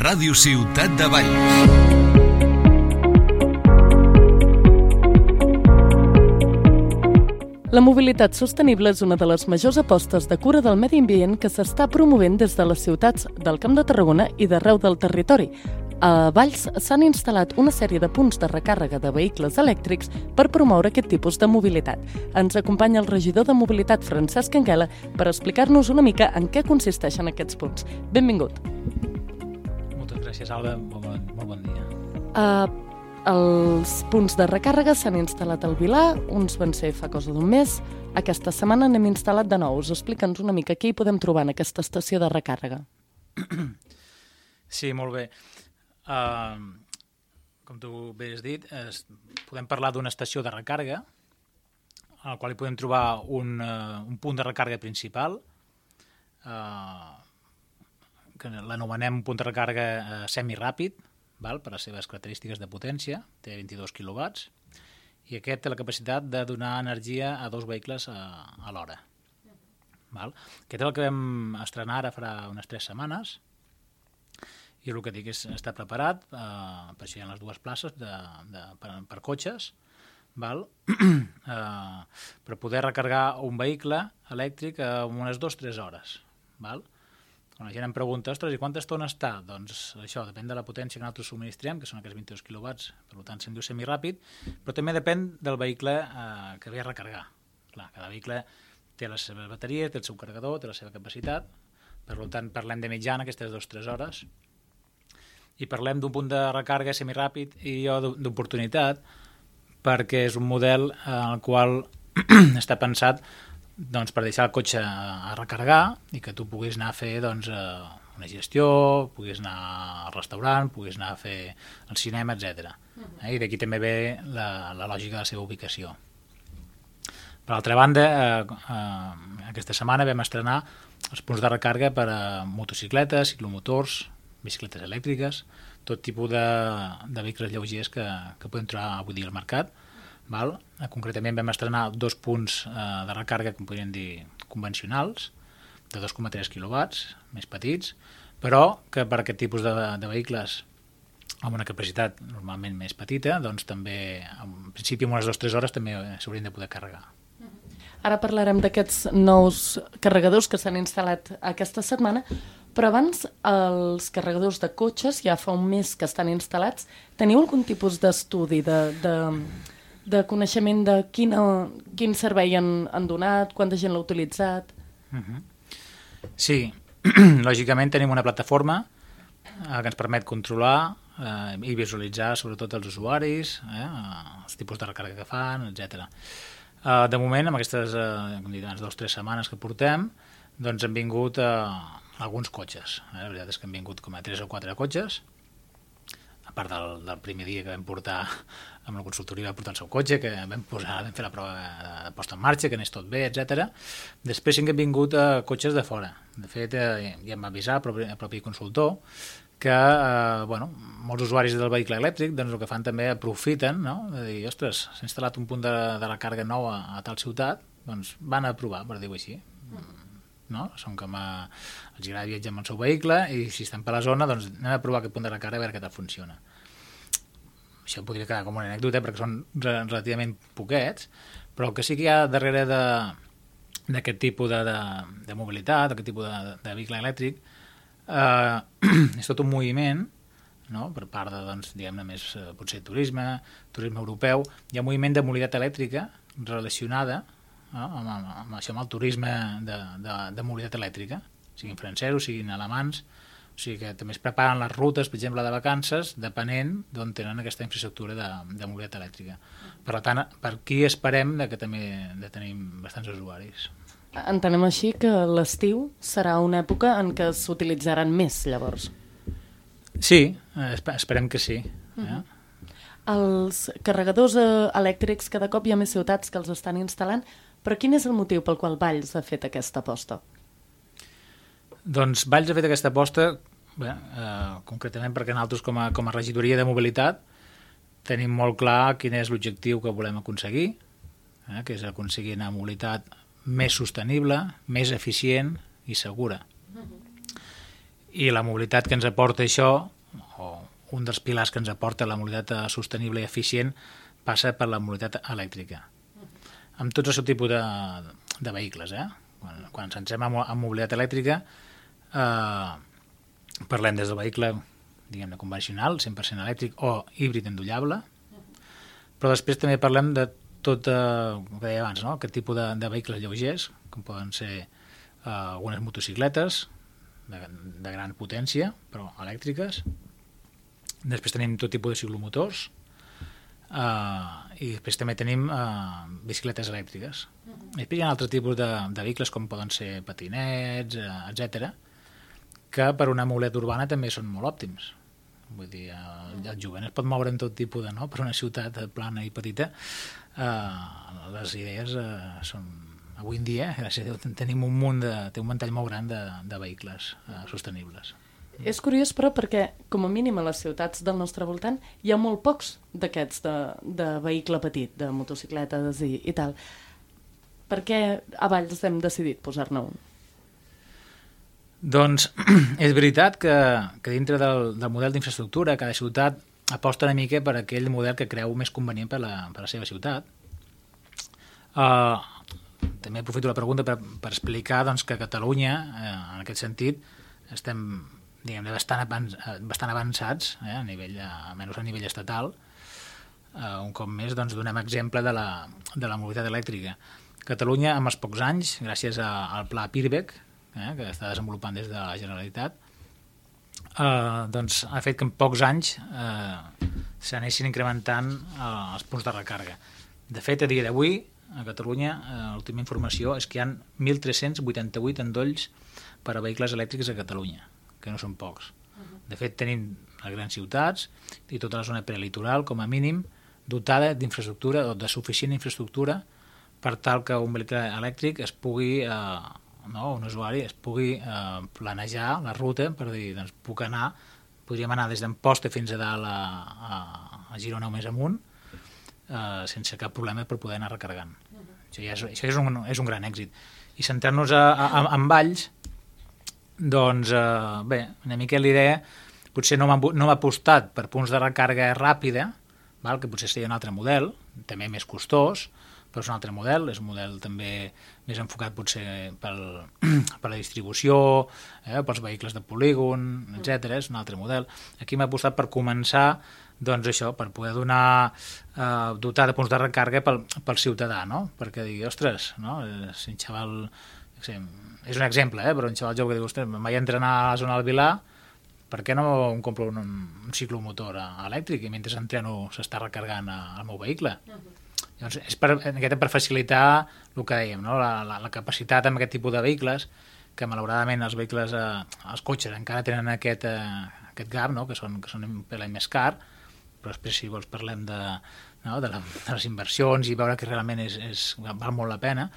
Ràdio Ciutat de Valls. La mobilitat sostenible és una de les majors apostes de cura del medi ambient que s'està promovent des de les ciutats del Camp de Tarragona i d'arreu del territori. A Valls s'han instal·lat una sèrie de punts de recàrrega de vehicles elèctrics per promoure aquest tipus de mobilitat. Ens acompanya el regidor de Mobilitat, Francesc Anguela, per explicar-nos una mica en què consisteixen aquests punts. Benvingut. Moltes gràcies, Alba. Molt bon dia. Els punts de recàrrega s'han instal·lat al Vilar, uns van ser fa cosa d'un mes. Aquesta setmana n'hem instal·lat de nous. Explica'ns una mica què hi podem trobar en aquesta estació de recàrrega. Sí, molt bé. Com tu bé has dit, podem parlar d'una estació de recàrrega, al qual hi podem trobar un punt de recàrrega principal, que l'anomenem punt de recàrrega semiràpid, per les seves característiques de potència, té 22 kW, i aquest té la capacitat de donar energia a dos vehicles a l'hora. Aquest és el que vam estrenar ara fa unes 3 setmanes, i el que dic és estar preparat, per això hi ha les dues places per cotxes, per poder recarregar un vehicle elèctric en unes 2-3 hores. Quan la gent em pregunta, ostres, i quanta estona està? Doncs això depèn de la potència que nosaltres subministrem, que són aquests 22 kW, per tant se'n diu semiràpid, però també depèn del vehicle que ve a recarregar. Clar, cada vehicle té les seves bateries, té el seu carregador, té la seva capacitat, per tant parlem de mitjana, aquestes 2-3 hores, i parlem d'un punt de recàrrega semiràpid i d'oportunitat, perquè és un model en el qual està pensat per deixar el cotxe a recarregar i que tu puguis anar a fer una gestió, puguis anar al restaurant, puguis anar a fer el cinema, etc. I d'aquí també ve la lògica de la seva ubicació. Per altra banda, aquesta setmana vam estrenar els punts de recàrrega per a motocicletes, ciclomotors, bicicletes elèctriques, tot tipus de vehicles lleugers que podem trobar avui dia al mercat. Concretament vam estrenar 2 punts de recàrrega, com podríem dir, convencionals, de 2,3 kW, més petits, però que per aquest tipus de vehicles amb una capacitat normalment més petita, doncs també, en principi, en unes 2-3 hores també s'haurien de poder carregar. Ara parlarem d'aquests nous carregadors que s'han instal·lat aquesta setmana, però abans els carregadors de cotxes, ja fa un mes que estan instal·lats, teniu algun tipus d'estudi, de coneixement de quin servei han donat, quanta gent l'ha utilitzat? Sí, lògicament tenim una plataforma que ens permet controlar i visualitzar sobretot els usuaris, els tipus de recàrrega que fan, etc. De moment, amb aquestes 2-3 setmanes que portem, doncs han vingut alguns cotxes. La veritat és que han vingut com a 3 o 4 cotxes, a part del primer dia que vam portar amb la consultoria, va portar el seu cotxe, que vam fer la prova de posta en marxa, que anés tot bé, etc. Després sí que han vingut cotxes de fora. De fet, ja em va avisar el propi consultor que molts usuaris del vehicle elèctric el que fan també aprofiten, de dir, ostres, s'ha instal·lat un punt de recàrrega nou a tal ciutat, doncs van a provar, per dir-ho així. Són com els agrada viatjar amb el seu vehicle i si estan per la zona, doncs anem a provar aquest punt de recàrrega a veure què tal funciona. Això podria quedar com una anècdota perquè són relativament poquets, però el que sí que hi ha darrere d'aquest tipus de mobilitat, d'aquest tipus de vehicle elèctric, és tot un moviment, per part de, diguem-ne, més potser turisme europeu. Hi ha un moviment de mobilitat elèctrica relacionada amb el turisme de mobilitat elèctrica, siguin francesos, siguin alemans, o sigui que també es preparen les rutes, per exemple, de vacances, depenent d'on tenen aquesta infraestructura de mobilitat elèctrica. Per tant, per aquí esperem que també tenim bastants usuaris. Entenem així que l'estiu serà una època en què s'utilitzaran més, llavors. Sí, esperem que sí. Els carregadors elèctrics, cada cop hi ha més ciutats que els estan instal·lant, però quin és el motiu pel qual Valls ha fet aquesta aposta? Doncs Valls ha fet aquesta aposta concretament perquè nosaltres com a regidoria de mobilitat tenim molt clar quin és l'objectiu que volem aconseguir, que és aconseguir una mobilitat més sostenible, més eficient i segura. I la mobilitat que ens aporta això un dels pilars que ens aporta la mobilitat sostenible i eficient passa per la mobilitat elèctrica. Amb tots el seu tipus de vehicles. Quan ens centrem en mobilitat elèctrica, parlem des del vehicle, diguem-ne, convencional, 100% elèctric o híbrid endollable, però després també parlem de tot el que deia abans, no? Aquest tipus de vehicles lleugers, com poden ser algunes motocicletes de gran potència, però elèctriques. Després tenim tot tipus de ciclomotors i després també tenim bicicletes elèctriques. Després hi ha altres tipus de vehicles com poden ser patinets, etc, que per una mobilitat urbana també són molt òptims. Vull dir, el jovent es pot moure en tot tipus no? Per una ciutat plana i petita. Les idees són... Avui en dia, gràcies a Déu, tenim té un ventall molt gran de vehicles sostenibles. És curiós, però, perquè, com a mínim a les ciutats del nostre voltant, hi ha molt pocs d'aquests de vehicle petit, de motocicletes i tal. Per què a Valls hem decidit posar-ne un? Doncs és veritat que dintre del model d'infraestructura, cada ciutat aposta una mica per aquell model que creu més convenient per la seva ciutat. També aprofito la pregunta per explicar doncs, que a Catalunya, en aquest sentit, estem bastant avançats, almenys a nivell estatal. Un cop més doncs, donem exemple de la mobilitat elèctrica. Catalunya, amb els pocs anys, gràcies al pla PIRBEC, que està desenvolupant des de la Generalitat, doncs, ha fet que en pocs anys s'anessin incrementant els punts de recàrrega. De fet, a dia d'avui, a Catalunya, l'última informació és que hi ha 1.388 endolls per a vehicles elèctrics a Catalunya, que no són pocs. De fet, tenim les grans ciutats i tota la zona prelitoral, com a mínim, dotada d'infraestructura o de suficient infraestructura per tal que un vehicle elèctric es pugui, un usuari es pugui planejar la ruta per dir, doncs podríem anar des d'Amposta fins a dalt a Girona o més amunt, sense cap problema per poder anar recarregant. Això és un gran èxit. I centrar-nos en Valls, doncs, bé, una mica l'idea, potser no hem apostat per punts de recàrrega ràpida, que potser seria un altre model, també més costós, però és un altre model, és un model també més enfocat potser per la distribució, pels vehicles de polígon, etc. És un altre model. Aquí hem apostat per començar doncs això, per poder dotar de punts de recàrrega pel ciutadà, no? Perquè digui, ostres, no? Si un xaval, és un exemple, però un xaval jove que diu, ostres, em vaig entrenar a la zona del Vilar, per què no em compro un ciclomotor elèctric i mentre entreno s'està recarregant el meu vehicle? Llavors, és per facilitar el que dèiem, no? La capacitat amb aquest tipus de vehicles, que malauradament els cotxes encara tenen aquest gap, no? que són un pellet més car, però després si vols parlem de les inversions i veure que realment val molt la pena.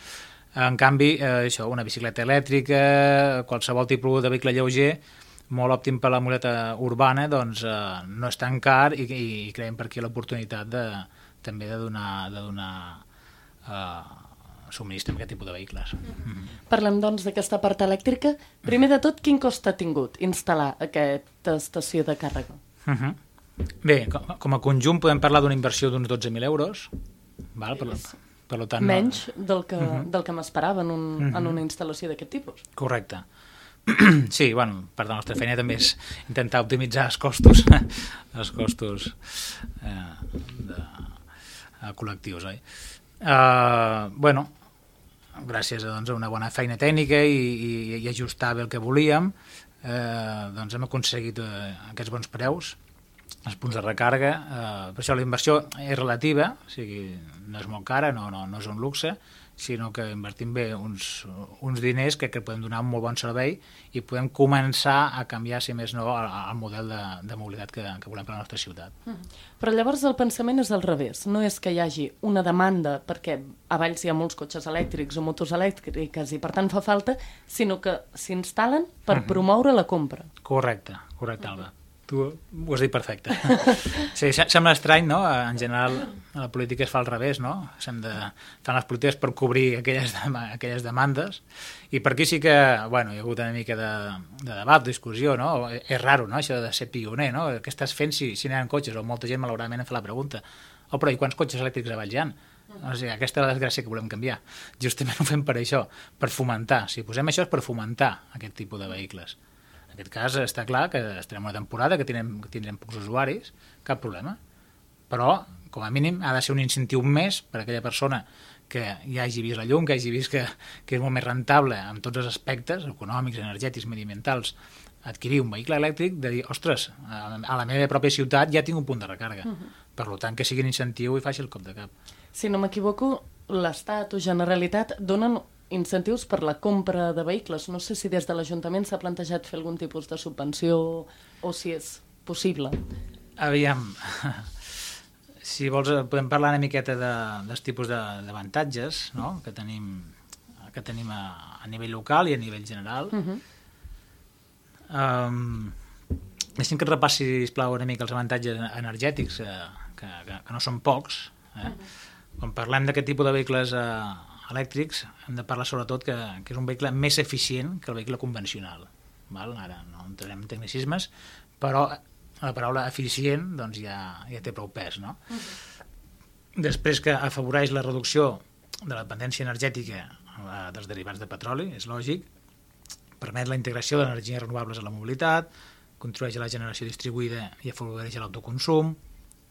En canvi, una bicicleta elèctrica, qualsevol tipus de vehicle lleuger, molt òptim per la mobilitat urbana, doncs no és tan car i creiem per aquí l'oportunitat també de donar subministre amb aquest tipus de vehicles. Parlem, doncs, d'aquesta part elèctrica. Primer de tot, quin cost ha tingut instal·lar aquesta estació de càrrega? Bé, com a conjunt podem parlar d'una inversió d'uns 12.000 euros. Per tant, menys del que m'esperava en una instal·lació d'aquest tipus. Correcte. Sí, part de la nostra feina també és intentar optimitzar els costos col·lectius, oi? Gràcies a una bona feina tècnica i ajustar bé el que volíem, doncs hem aconseguit aquests bons preus, els punts de recàrrega. Per això la inversió és relativa, o sigui, no és molt cara, no és un luxe, sinó que invertim bé uns diners que podem donar un molt bon servei i podem començar a canviar, si més no, el model de mobilitat que volem per a la nostra ciutat. Però llavors el pensament és al revés. No és que hi hagi una demanda perquè a Valls hi ha molts cotxes elèctrics o motos elèctriques i per tant fa falta, sinó que s'instal·len per promoure la compra. Correcte, Alba. Tu ho has dit perfecte. Sí, sembla estrany, no? En general, a la política es fa al revés, no? Fan les polítiques per cobrir aquelles demandes, i per aquí sí que, bueno, hi ha hagut una mica de debat, discussió, no? És raro, no?, això de ser pioner, no? Què estàs fent si n'hi ha cotxes? O molta gent, malauradament, em fa la pregunta: però i quants cotxes elèctrics a Valls hi ha? O sigui, aquesta és la desgràcia que volem canviar. Justament ho fem per això, per fomentar. Si posem això és per fomentar aquest tipus de vehicles. En aquest cas està clar que estarem una temporada que tindrem pocs usuaris, cap problema. Però, com a mínim, ha de ser un incentiu més per a aquella persona que ja hagi vist la llum, que hagi vist que és molt més rentable en tots els aspectes, econòmics, energètics, mediambientals, adquirir un vehicle elèctric, de dir, ostres, a la meva pròpia ciutat ja tinc un punt de recàrrega. Per tant, que sigui un incentiu i faci el cop de cap. Si no m'equivoco, l'Estat o Generalitat donen incentius per la compra de vehicles. No sé si des de l'Ajuntament s'ha plantejat fer algun tipus de subvenció o si és possible. Aviam, si vols podem parlar una miqueta dels tipus d'avantatges, no?, que tenim a nivell local i a nivell general. Deixem que et repassi, sisplau, una mica els avantatges energètics, que no són pocs. Quan parlem d'aquest tipus de vehicles elèctrics, hem de parlar sobretot que és un vehicle més eficient que el vehicle convencional. Ara no entrarem en tecnicismes, però la paraula eficient doncs, ja té prou pes, no? Després, que afavoreix la reducció de la dependència energètica dels derivats de petroli, és lògic, permet la integració d'energies renovables a la mobilitat, contribueix a la generació distribuïda i afavoreix l'autoconsum,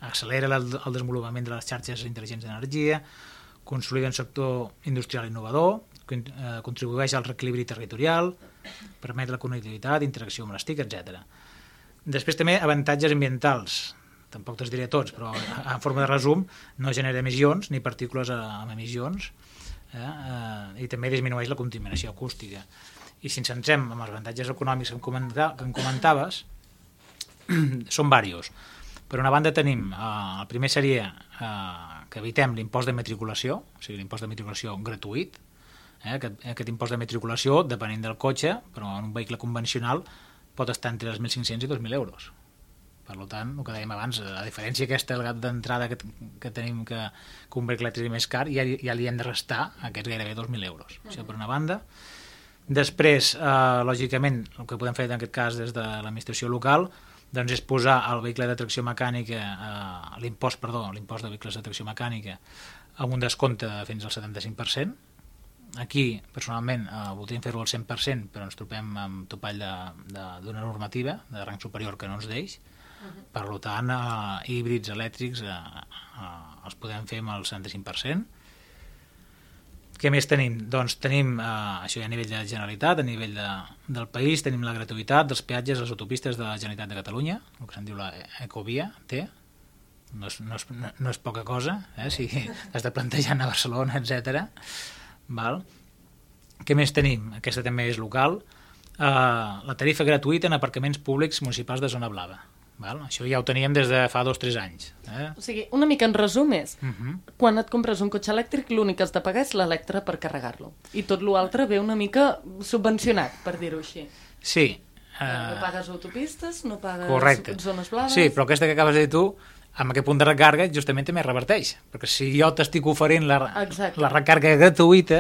accelera el desenvolupament de les xarxes intel·ligents d'energia, consolida un sector industrial innovador, contribueix al reequilibri territorial, permet la connectivitat, interacció amb les TIC, etc. Després també avantatges ambientals, tampoc te'ls diré tots, però en forma de resum no genera emissions ni partícules amb emissions, i també disminueix la contaminació acústica. I si ens centrem en els avantatges econòmics que em comentaves, són diversos. Per una banda tenim, el primer seria que evitem l'impost de matriculació, o sigui, l'impost de matriculació gratuït. Aquest impost de matriculació, depenent del cotxe, però en un vehicle convencional pot estar entre els 1.500 i 2.000 euros. Per tant, el que dèiem abans, la diferència aquesta d'entrada que tenim que un vehicle elèctric més car, ja li hem de restar aquests gairebé 2.000 euros. Això per una banda. Després, lògicament, el que podem fer en aquest cas des de l'administració local doncs és posar el vehicle de tracció mecànica, l'impost de vehicles de tracció mecànica amb un descompte fins al 75%. Aquí, personalment, voldríem fer-ho al 100%, però ens trobem amb topall d'una normativa de rang superior que no ens deix. Per tant, híbrids elèctrics els podem fer amb el 75%. Què més tenim? Doncs tenim, això ja a nivell de Generalitat, a nivell del país, tenim la gratuïtat dels peatges a les autopistes de la Generalitat de Catalunya, el que se'n diu la Ecovia T. No és poca cosa, si has de plantejar a Barcelona, etc. Què més tenim? Aquesta també és local. La tarifa gratuïta en aparcaments públics municipals de zona blava. Això ja ho teníem des de fa 2 o 3 anys. O sigui, una mica en resum és, quan et compres un cotxe elèctric, l'únic que has de pagar és l'electre per carregar-lo. I tot l'altre ve una mica subvencionat, per dir-ho així. Sí. No pagues autopistes, no pagues zones blaves... Sí, però aquesta que acabes de dir tu, amb aquest punt de recàrega justament també reverteix, perquè si jo t'estic oferint la recàrrega gratuïta,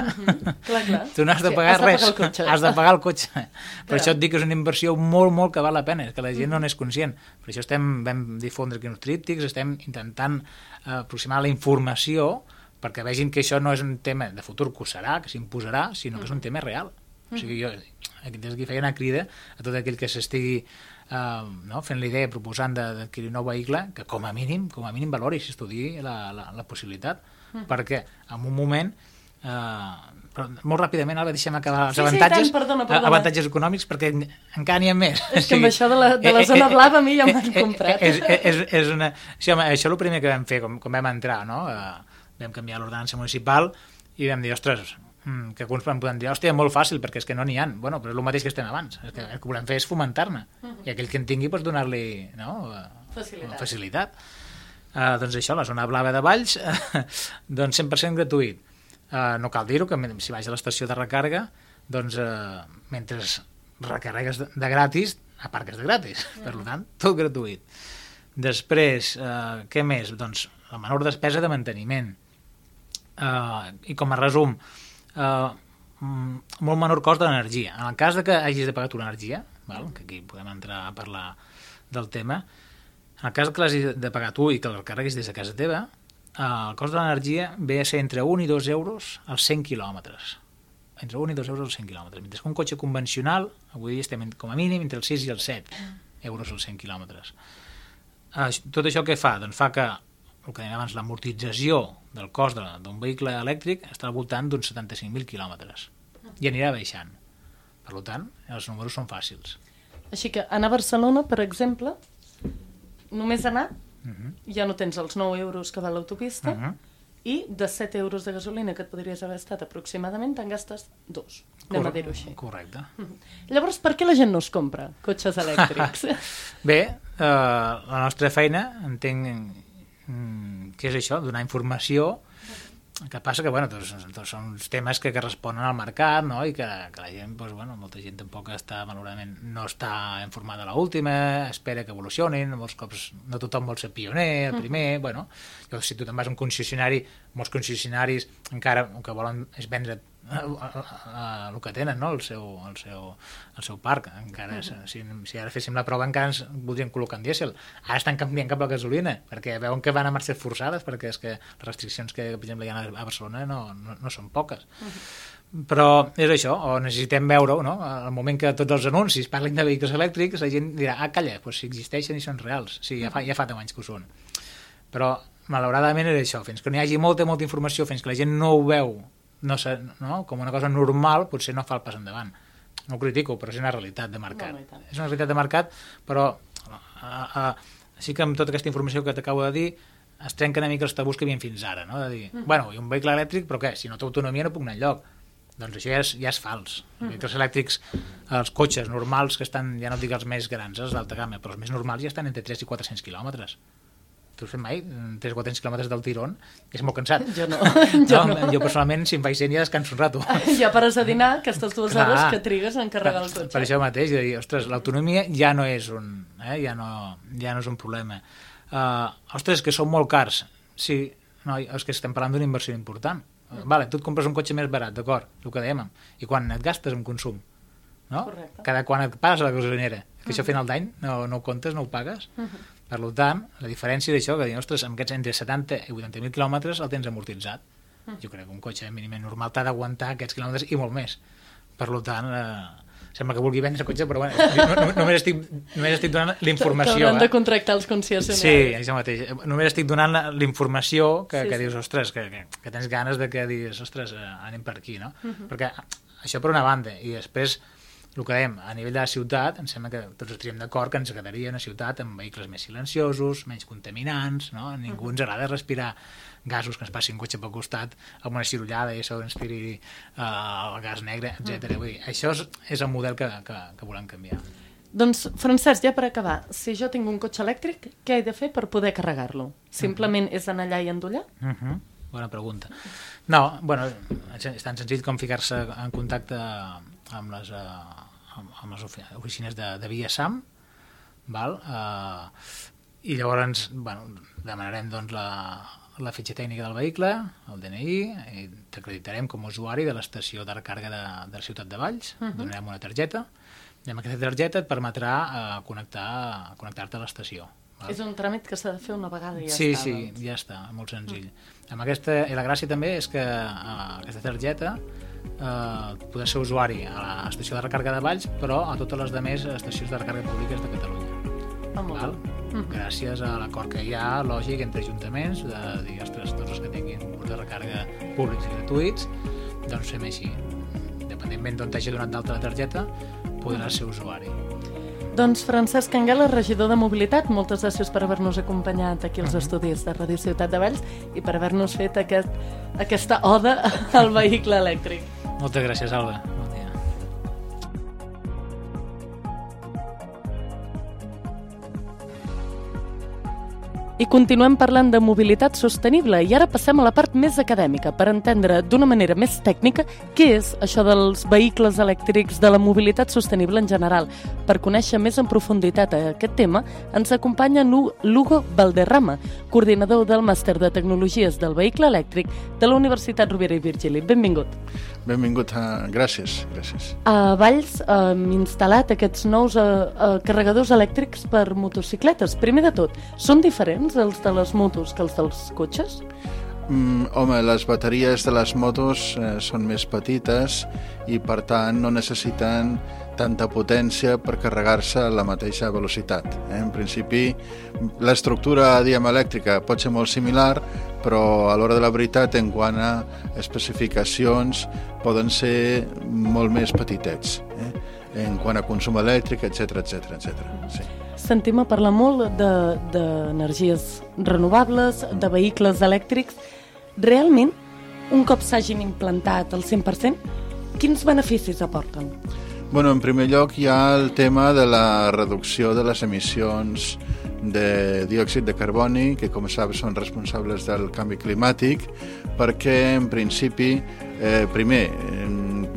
tu no has de pagar res, has de pagar el cotxe. Per això et dic que és una inversió molt, molt que val la pena, que la gent no n'és conscient. Per això vam difondre aquí uns tríptics, estem intentant aproximar la informació perquè vegin que això no és un tema de futur que ho serà, que s'imposarà, sinó que és un tema real. O sigui, jo des d'aquí feia una crida a tot aquell que s'estigui fent la idea, proposant d'adquirir un nou vehicle, que com a mínim valori, s'estudiï la possibilitat, perquè en un moment, però molt ràpidament, ara deixem acabar els avantatges, avantatges econòmics, perquè encara n'hi ha més. És que amb això de la zona blava a mi ja m'han comprat. Això és el primer que vam fer, com vam entrar, vam canviar l'ordenança municipal i vam dir, ostres, que alguns em poden dir, hòstia, molt fàcil, perquè és que no n'hi ha. Bueno, però és el mateix que estem abans. El que volem fer és fomentar-ne. I aquell que en tingui, pots donar-li facilitat. Doncs això, la zona blava de Valls, doncs 100% gratuït. No cal dir-ho, que si vaig a l'estació de recàrrega, doncs mentre recarregues de gratis, a part que és de gratis, per tant, tot gratuït. Després, què més? Doncs la menor despesa de manteniment. I com a resum, molt menor cost de l'energia. En el cas de que hagis de pagar tu l'energia, que aquí podem entrar a parlar del tema, en el cas que l'hagis de pagar tu i que el carreguis des de casa teva, el cost de l'energia ve a ser entre 1 i 2 euros als 100 quilòmetres. Entre 1 i 2 euros als 100 quilòmetres. Mentre que un cotxe convencional, avui dia estem com a mínim entre els 6 i els 7 euros als 100 quilòmetres. Tot això què fa? Doncs fa que, el que dèiem abans, l'amortització del cost d'un vehicle elèctric està al voltant d'uns 75.000 quilòmetres i anirà baixant. Per tant, els números són fàcils. Així que anar a Barcelona, per exemple, només anar, ja no tens els 9 euros que val l'autopista, i de 7 euros de gasolina que et podries haver estat aproximadament, te'n gastes 2. Anem a dir-ho així. Correcte. Llavors, per què la gent no es compra cotxes elèctrics? Bé, la nostra feina, entenc que és això, donar informació. El que passa que, tots són uns temes que responen al mercat, no? I que la gent, molta gent tampoc malauradament no està informada a l'última, espera que evolucionin, molts cops no tothom vol ser pioner, el primer, si tu te'n vas a un concessionari, molts concessionaris encara el que volen és vendre el que tenen, no? el seu parc. Encara, si ara féssim la prova encara ens voldrien col·locar en dièsel. Ara estan canviant cap a la gasolina perquè veuen que van a marxes forçades, perquè és que les restriccions que, per exemple, hi ha a Barcelona no són poques. Però és això, o necessitem veure-ho, no? Al moment que tots els anuncis parlin de vehicles elèctrics, la gent dirà, calla, si existeixen i són reals. Sí, ja fa 10 anys que ho són. Però, malauradament, és això, fins que no hi hagi molta informació, fins que la gent no ho veu com una cosa normal, potser no fa el pas endavant. No ho critico, però és una realitat de mercat. És una realitat de mercat, però sí que amb tota aquesta informació que t'acabo de dir es trenquen una mica els tabús que hi havia fins ara, no? De dir, i un vehicle elèctric, però què? Si no té autonomia no puc anar enlloc. Doncs això ja és fals. Els vehicles elèctrics, els cotxes normals que estan, ja no dic els més grans, els d'alta gamma, però els més normals ja estan entre 3 i 400 quilòmetres. Tu has fet mai 3 o 400 quilòmetres del tirón? És molt cansat. Jo no. Jo personalment, si em faig 100 ja descanso un rato. Ja pares a dinar aquestes 2 hores que trigues a encarregar el cotxe. Per això mateix, de dir, ostres, l'autonomia ja no és ja no és un problema. Ostres, que són molt cars. Sí, és que estem parlant d'una inversió important. Vale, tu et compres un cotxe més barat, d'acord, el que dèiem. I quan et gastes en consum? No? Cada quan et pagues a la gasolinera. Que això a final d'any no ho comptes, no ho pagues. Per tant, la diferència d'això, que dir, ostres, amb aquests entre 70 i 80.000 quilòmetres el tens amortitzat. Jo crec que un cotxe mínimament normal t'ha d'aguantar aquests quilòmetres i molt més. Per tant, sembla que vulgui vendre cotxe, però només estic donant l'informació. T'hauran de contractar els concessionaris. Sí, això mateix. Només estic donant l'informació que dius, ostres, que tens ganes de que diguis, ostres, anem per aquí, no? Perquè això per una banda, i després el que dèiem, a nivell de la ciutat, em sembla que tots estaríem d'acord que ens agradaria una ciutat amb vehicles més silenciosos, menys contaminants, no? A ningú ens agrada respirar gasos que ens passi un cotxe pel costat amb una cirullada i això ens tiri el gas negre, etc. Vull dir, això és el model que volem canviar. Doncs, Francesc, ja per acabar, si jo tinc un cotxe elèctric, què he de fer per poder carregar-lo? Simplement és anar allà i endollar? Bona pregunta. No, és tan senzill com ficar-se en contacte amb les oficines de Via SAM, i llavors demanarem la fitxa tècnica del vehicle, el DNI, i t'acreditarem com a usuari de l'estació de recàrrega de la ciutat de Valls, donarem una targeta, i amb aquesta targeta et permetrà connectar-te a l'estació. És un tràmit que s'ha de fer una vegada i ja està. Sí, ja està, molt senzill. I la gràcia també és que aquesta targeta poder ser usuari a l'estació de recàrrega de Valls, però a totes les demés estacions de recàrrega públiques de Catalunya. Gràcies a l'acord que hi ha, lògic, entre ajuntaments, de dir, ostres, tots els que tinguin punts de recàrrega públics i gratuïts, doncs fem així. Independentment d'on t'hagi donat d'alta la targeta, podràs ser usuari. Doncs Francesc Anguela, regidor de Mobilitat, moltes gràcies per haver-nos acompanyat aquí als estudis de Ràdio Ciutat de Valls i per haver-nos fet aquesta oda al vehicle elèctric. Moltes gràcies, Alba. Bon dia. I continuem parlant de mobilitat sostenible i ara passem a la part més acadèmica per entendre d'una manera més tècnica què és això dels vehicles elèctrics, de la mobilitat sostenible en general. Per conèixer més en profunditat aquest tema ens acompanya Lugo Valderrama, coordinador del Màster de Tecnologies del Vehicle Elèctric de la Universitat Rovira i Virgili. Benvingut. Benvingut, gràcies. A Valls hem instal·lat aquests nous carregadors elèctrics per motocicletes. Primer de tot, són diferents els de les motos que els dels cotxes? Home, les bateries de les motos són més petites i per tant no necessiten tanta potència per carregar-se a la mateixa velocitat. En principi, l'estructura, elèctrica pot ser molt similar, però a l'hora de la veritat, en quant a especificacions, poden ser molt més petitets, en quant a consum elèctric, etc. Sí. Sentim a parlar molt d'energies renovables, de vehicles elèctrics. Realment, un cop s'hagin implantat al 100%, quins beneficis aporten? Bueno, en primer lloc hi ha el tema de la reducció de les emissions de diòxid de carboni, que com saps són responsables del canvi climàtic, perquè en principi, primer,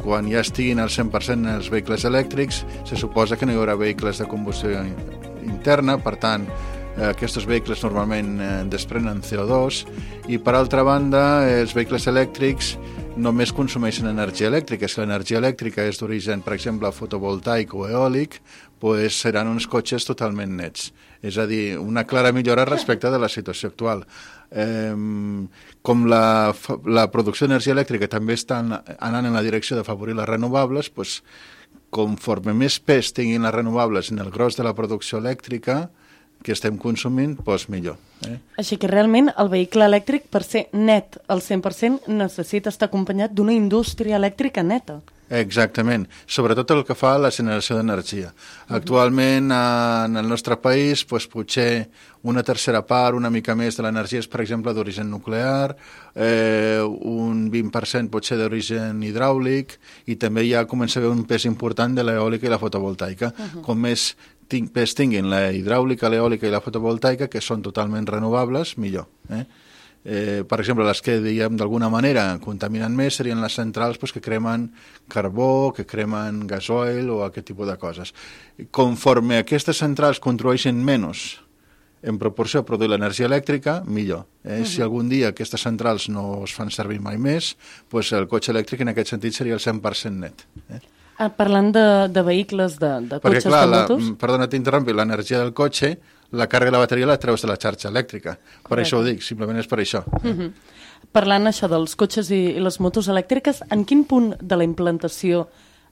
quan ja estiguin al 100% els vehicles elèctrics, se suposa que no hi haurà vehicles de combustió interna, per tant, aquests vehicles normalment desprenen CO2 i per altra banda els vehicles elèctrics només consumeixen energia elèctrica. Si l'energia elèctrica és d'origen, per exemple, fotovoltaic o eòlic, doncs seran uns cotxes totalment nets. És a dir, una clara millora respecte de la situació actual. Com la producció d'energia elèctrica també està anant en la direcció d'afavorir les renovables, doncs, conforme més pes tinguin les renovables en el gros de la producció elèctrica que estem consumint, doncs millor. Així que realment el vehicle elèctric, per ser net al 100%, necessita estar acompanyat d'una indústria elèctrica neta. Exactament, sobretot el que fa a la generació d'energia. Actualment en el nostre país potser una tercera part, una mica més de l'energia és, per exemple, d'origen nuclear, un 20% pot ser d'origen hidràulic i també ja comença a haver un pes important de l'eòlica i la fotovoltaica. Com més pes tinguin la hidràulica, l'eòlica i la fotovoltaica, que són totalment renovables, millor. Per exemple, les que, diguem, d'alguna manera contaminen més serien les centrals que cremen carbó, que cremen gasoil o aquest tipus de coses. Conforme aquestes centrals contribueixen menys en proporció a produir l'energia elèctrica, millor. Si algun dia aquestes centrals no es fan servir mai més, doncs el cotxe elèctric en aquest sentit seria el 100% net. Parlant de vehicles, de cotxes, perquè, clar, de motos... Perdona, t'interrompi, l'energia del cotxe, la càrrega de la bateria la treus de la xarxa elèctrica. Per això ho dic, simplement és per això. Parlant això dels cotxes i les motos elèctriques, en quin punt de la implantació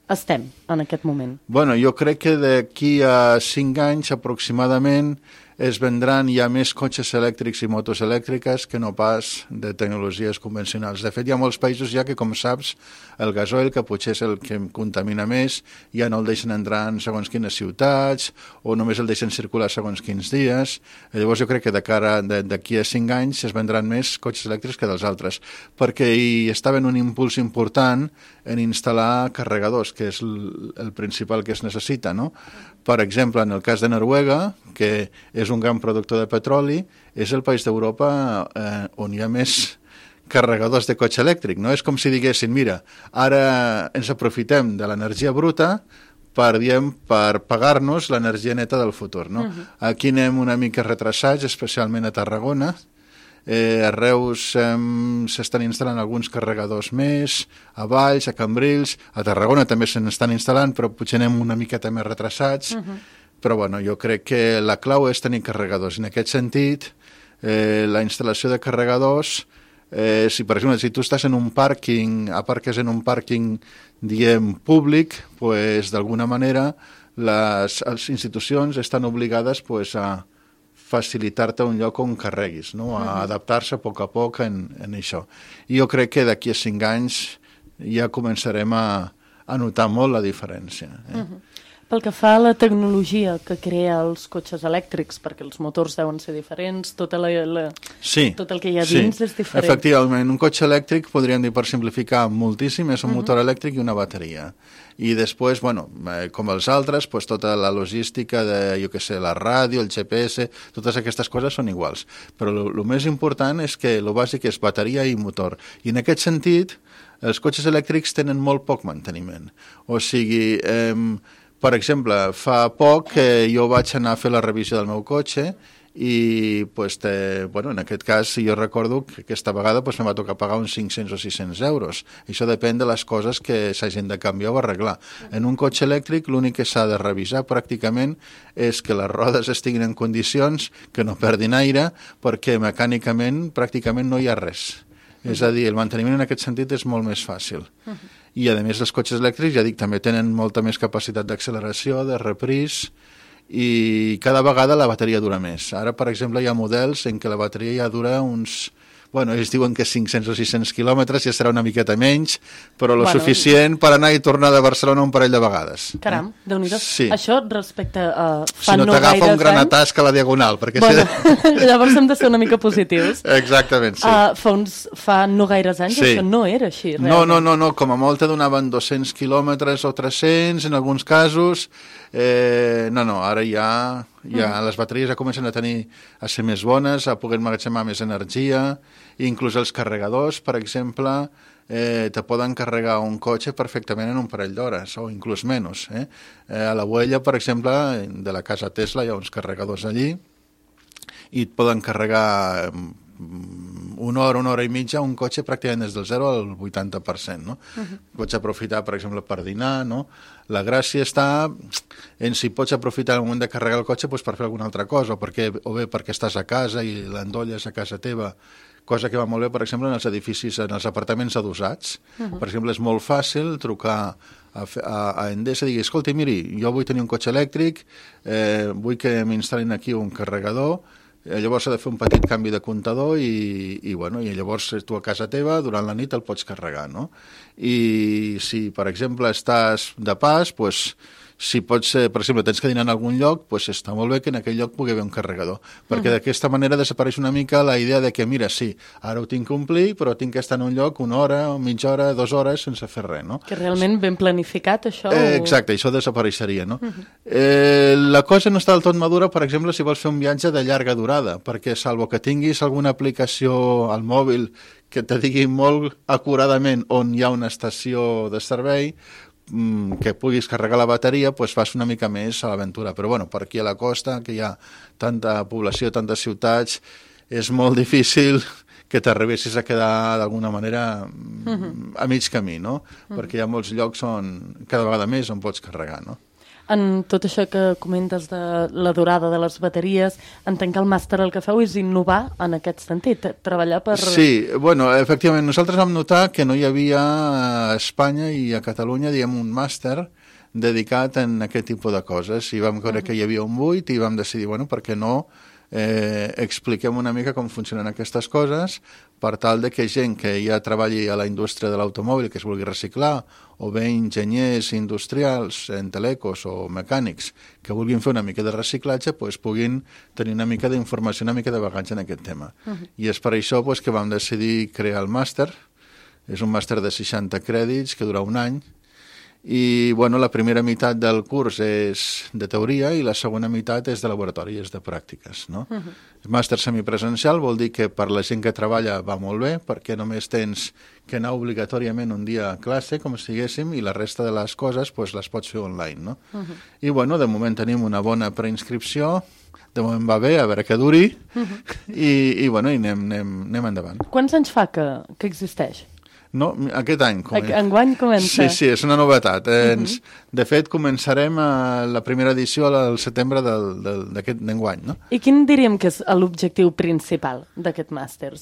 estem en aquest moment? Bueno, jo crec que d'aquí a 5 anys aproximadament es vendran ja més cotxes elèctrics i motos elèctriques que no pas de tecnologies convencionals. De fet, hi ha molts països ja que, com saps, el gasoil, que potser és el que contamina més, ja no el deixen entrar en segons quines ciutats o només el deixen circular segons quins dies. Llavors jo crec que de cara d'aquí a 5 anys es vendran més cotxes elèctrics que dels altres, perquè hi estava un impuls important en instal·lar carregadors, que és el principal que es necessita, no? Per exemple, en el cas de Noruega, que és un gran productor de petroli, és el país d'Europa on hi ha més carregadors de cotxe elèctric, no? És com si diguessin, mira, ara ens aprofitem de l'energia bruta per pagar-nos l'energia neta del futur, no? Aquí anem una mica retrasats, especialment a Tarragona. A Reus s'estan instal·lant alguns carregadors més, a Valls, a Cambrils, a Tarragona també se n'estan instal·lant, però potser anem una miqueta més retrasats. Però bueno, jo crec que la clau és tenir carregadors. En aquest sentit, la instal·lació de carregadors, si per exemple, si tu estàs en un pàrquing, aparques en un pàrquing, diguem, públic, pues, d'alguna manera les institucions estan obligades pues, a facilitar-te un lloc on carreguis, no? A adaptar-se a poc en això. I jo crec que d'aquí a 5 anys ja començarem a notar molt la diferència. Pel que fa a la tecnologia que crea els cotxes elèctrics, perquè els motors deuen ser diferents, tot el que hi ha dins és diferent. Efectivament, un cotxe elèctric, podríem dir per simplificar moltíssim, és un motor elèctric i una bateria. I després, com els altres, tota la logística de, la ràdio, el GPS, totes aquestes coses són iguals. Però el més important és que el bàsic és bateria i motor. I en aquest sentit, els cotxes elèctrics tenen molt poc manteniment. O sigui, per exemple, fa poc que jo vaig anar a fer la revisió del meu cotxe i en aquest cas jo recordo que aquesta vegada em va tocar pagar uns 500 o 600 euros. Això depèn de les coses que s'hagin de canviar o arreglar. En un cotxe elèctric l'únic que s'ha de revisar pràcticament és que les rodes estiguin en condicions, que no perdin aire, perquè mecànicament pràcticament no hi ha res. És a dir, el manteniment en aquest sentit és molt més fàcil. I a més els cotxes elèctrics, ja dic, també tenen molta més capacitat d'acceleració, de repris, i cada vegada la bateria dura més. Ara, per exemple, hi ha models en què la bateria ja dura uns... ells diuen que 500 o 600 quilòmetres, ja serà una miqueta menys, però suficient per anar i tornar de Barcelona un parell de vegades. Caram, Déu-n'hi-do. Sí. Això respecte a fa no gaires anys... Si no t'agafa un gran atasc a la diagonal, perquè... Llavors hem de ser una mica positius. Exactament, sí. Fa no gaires anys això no era així, realment. No, com a molt te donaven 200 quilòmetres o 300, en alguns casos. Ara ja les bateries ja comencen a ser més bones, a poder emmagatzemar més energia, i inclús els carregadors, per exemple, te poden carregar un cotxe perfectament en un parell d'hores, o inclús menys. A la Güella, per exemple, de la casa Tesla hi ha uns carregadors allí, i et poden carregar una hora i mitja un cotxe pràcticament des del 0 al 80%, no? Pots aprofitar, per exemple, per dinar, no? La gràcia està en si pots aprofitar el moment de carregar el cotxe per fer alguna altra cosa, o bé perquè estàs a casa i l'endolles a casa teva, cosa que va molt bé, per exemple, en els edificis, en els apartaments adossats. Per exemple, és molt fàcil trucar a Endesa i dir, escolta, miri, jo vull tenir un cotxe elèctric, vull que m'instal·lin aquí un carregador, llavors s'ha de fer un petit canvi de comptador i llavors tu a casa teva durant la nit el pots carregar, no? I si, per exemple, estàs de pas, si pots, per exemple, tens que dinar en algun lloc, està molt bé que en aquell lloc pugui haver un carregador, perquè d'aquesta manera desapareix una mica la idea de que, mira, sí, ara ho tinc que omplir, però tinc que estar en un lloc una hora, mitja hora, 2 hores, sense fer res, no? Que realment ben planificat, això? Exacte, això desapareixeria, no? La cosa no està del tot madura, per exemple, si vols fer un viatge de llarga durada, perquè salvo que tinguis alguna aplicació al mòbil que te digui molt acuradament on hi ha una estació de servei, que puguis carregar la bateria, fas una mica més a l'aventura. Però per aquí a la costa, que hi ha tanta població, tantes ciutats, és molt difícil que t'arribessis a quedar d'alguna manera a mig camí, no? Perquè hi ha molts llocs cada vegada més on pots carregar, no? En tot això que comentes de la durada de les bateries, entenc que el màster el que feu és innovar en aquest sentit, treballar per... Sí, efectivament, nosaltres vam notar que no hi havia a Espanya i a Catalunya, un màster dedicat en aquest tipus de coses, i vam veure que hi havia un buit i vam decidir, per què no expliquem una mica com funcionen aquestes coses per tal de que gent que ja treballi a la indústria de l'automòbil, que es vulgui reciclar, o bé enginyers industrials, en telecos o mecànics, que vulguin fer una mica de reciclatge, puguin tenir una mica d'informació, una mica de bagatge en aquest tema. I és per això que vam decidir crear el màster. És un màster de 60 crèdits que dura un any, i la primera meitat del curs és de teoria i la segona meitat és de laboratori, és de pràctiques, no? El màster semipresencial vol dir que per la gent que treballa va molt bé, perquè només tens que anar obligatòriament un dia a classe, com si diguéssim, i la resta de les coses les pots fer online, no? I de moment tenim una bona preinscripció, de moment va bé, a veure què duri, i anem endavant. Quants anys fa que existeix? No, aquest any comença. Enguany comença. Sí, és una novetat. De fet, començarem la primera edició al setembre d'enguany, no? I quin diríem que és l'objectiu principal d'aquest màster?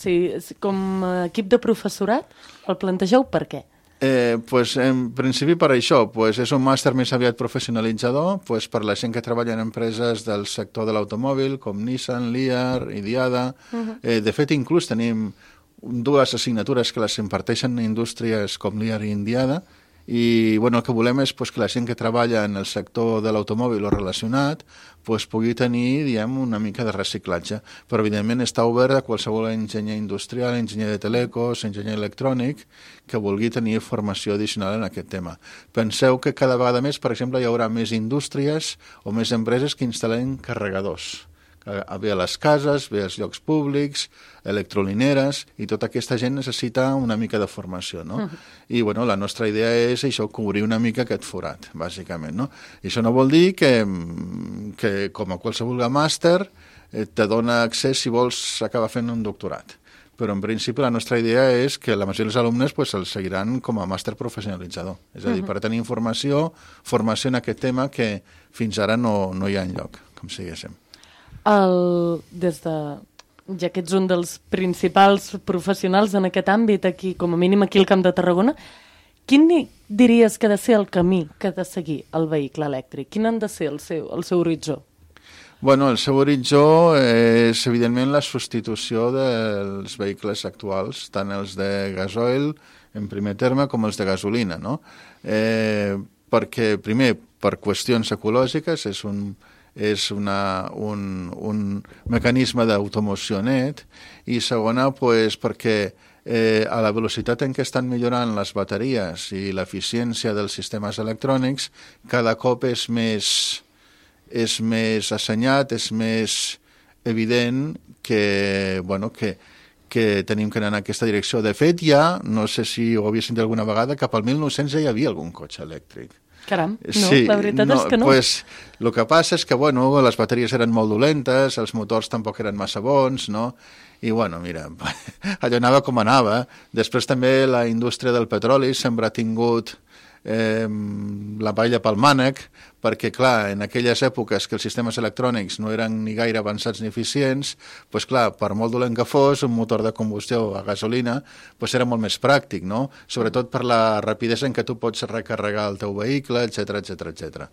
Com a equip de professorat el plantegeu per què? En principi per això, és un màster més aviat professionalitzador, per la gent que treballa en empreses del sector de l'automòbil, com Nissan, Lear, Idiada. De fet, inclús tenim 2 assignatures que les imparteixen indústries com Lear i Idiada, I bueno, el que volem és que la gent que treballa en el sector de l'automòbil o relacionat pugui tenir, una mica de reciclatge. Però, evidentment, està obert a qualsevol enginyer industrial, enginyer de telecos, enginyer electrònic, que vulgui tenir formació addicional en aquest tema. Penseu que cada vegada més, per exemple, hi haurà més indústries o més empreses que instal·len carregadors. Ve a les cases, ve als llocs públics, electrolineres, i tota aquesta gent necessita una mica de formació, no? I, bueno, la nostra idea és això, cobrir una mica aquest forat, bàsicament, no? I això no vol dir que com a qualsevol màster, te dona accés si vols acabar fent un doctorat. Però, en principi, la nostra idea és que la majoria dels alumnes els seguiran com a màster professionalitzador. És a dir, per tenir formació en aquest tema que fins ara no hi ha enlloc, com si diguéssim. Ja que ets un dels principals professionals en aquest àmbit, aquí, com a mínim aquí al Camp de Tarragona, quin diries que ha de ser el camí que ha de seguir el vehicle elèctric? Quin ha de ser el seu horitzó? Bueno, el seu horitzó és, evidentment, la substitució dels vehicles actuals, tant els de gasoil, en primer terme, com els de gasolina, no? Perquè, primer, per qüestions ecològiques, és un mecanisme d'automoció net, i segona, perquè a la velocitat en què estan millorant les bateries i l'eficiència dels sistemes electrònics, cada cop és més assenyat, és més evident que tenim que anar en aquesta direcció. De fet, no sé si ho havia sentit alguna vegada, cap al 1900 ja hi havia algun cotxe elèctric. Caram, no, sí, la veritat és que no. El que passa és que, les bateries eren molt dolentes, els motors tampoc eren massa bons, no? I, mira, allò anava com anava. Després també la indústria del petroli sempre ha tingut la palla pel mànec, perquè, clar, en aquelles èpoques que els sistemes electrònics no eren ni gaire avançats ni eficients, clar, per molt dolent que fos, un motor de combustió a gasolina era molt més pràctic, no? Sobretot per la rapidesa en què tu pots recarregar el teu vehicle, etc.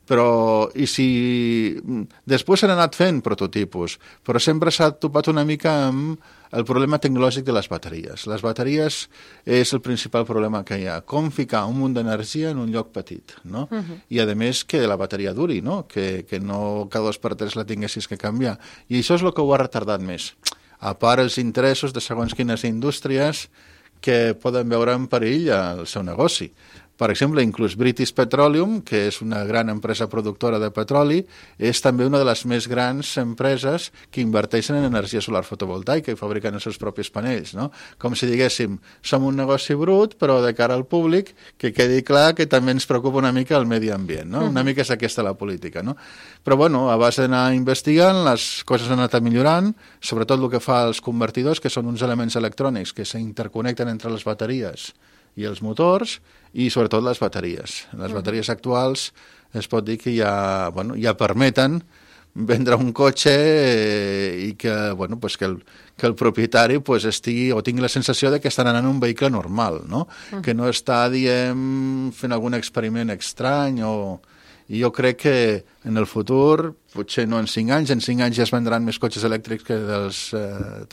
Però, i si... Després s'han anat fent prototipus, però sempre s'ha topat una mica amb el problema tecnològic de les bateries. Les bateries és el principal problema que hi ha. Com ficar un munt d'energia en un lloc petit, no? I, a més, que la bateria duri, no? Que no cada 2 per 3 la tinguessis que canviar. I això és el que ho ha retardat més. A part els interessos de segons quines indústries que poden veure en perill el seu negoci. Per exemple, inclús British Petroleum, que és una gran empresa productora de petroli, és també una de les més grans empreses que inverteixen en energia solar fotovoltaica i fabriquen els seus propis panells, no? Com si diguéssim, som un negoci brut, però de cara al públic, que quedi clar que també ens preocupa una mica el medi ambient, no? Una mica és aquesta la política, no? Però, a base d'anar investigant, les coses han anat millorant, sobretot el que fa els convertidors, que són uns elements electrònics que s'interconnecten entre les bateries i els motors, i sobretot les bateries. Les bateries actuals es pot dir que ja permeten vendre un cotxe i que el propietari estigui o tingui la sensació de que estan anant en un vehicle normal, no? Que no està, fent algun experiment estrany I jo crec que en el futur, potser no en 5 anys, en 5 anys ja es vendran més cotxes elèctrics que dels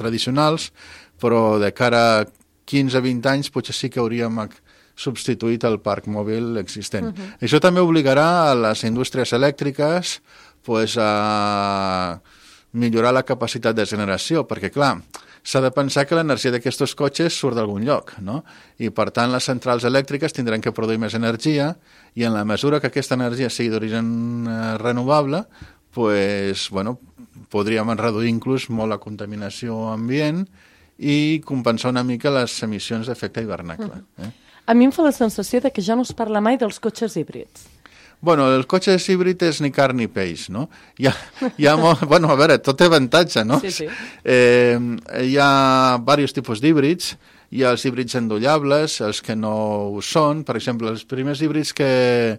tradicionals, però de cara a 15-20 anys potser sí que hauríem substituït el parc mòbil existent. Això també obligarà a les indústries elèctriques a millorar la capacitat de generació, perquè, clar, s'ha de pensar que l'energia d'aquests cotxes surt d'algun lloc, no? I, per tant, les centrals elèctriques tindran que produir més energia i, en la mesura que aquesta energia sigui d'origen renovable, podríem reduir inclús molt la contaminació ambient i compensar una mica les emissions d'efecte hivernacle. A mi em fa la sensació de que ja no es parla mai dels cotxes híbrids. El cotxe híbrid és ni carn ni peix, no? A veure, tot té avantatge, no? Sí. Hi ha diversos tipus d'híbrids. Hi ha els híbrids endollables, els que no ho són. Per exemple, els primers híbrids que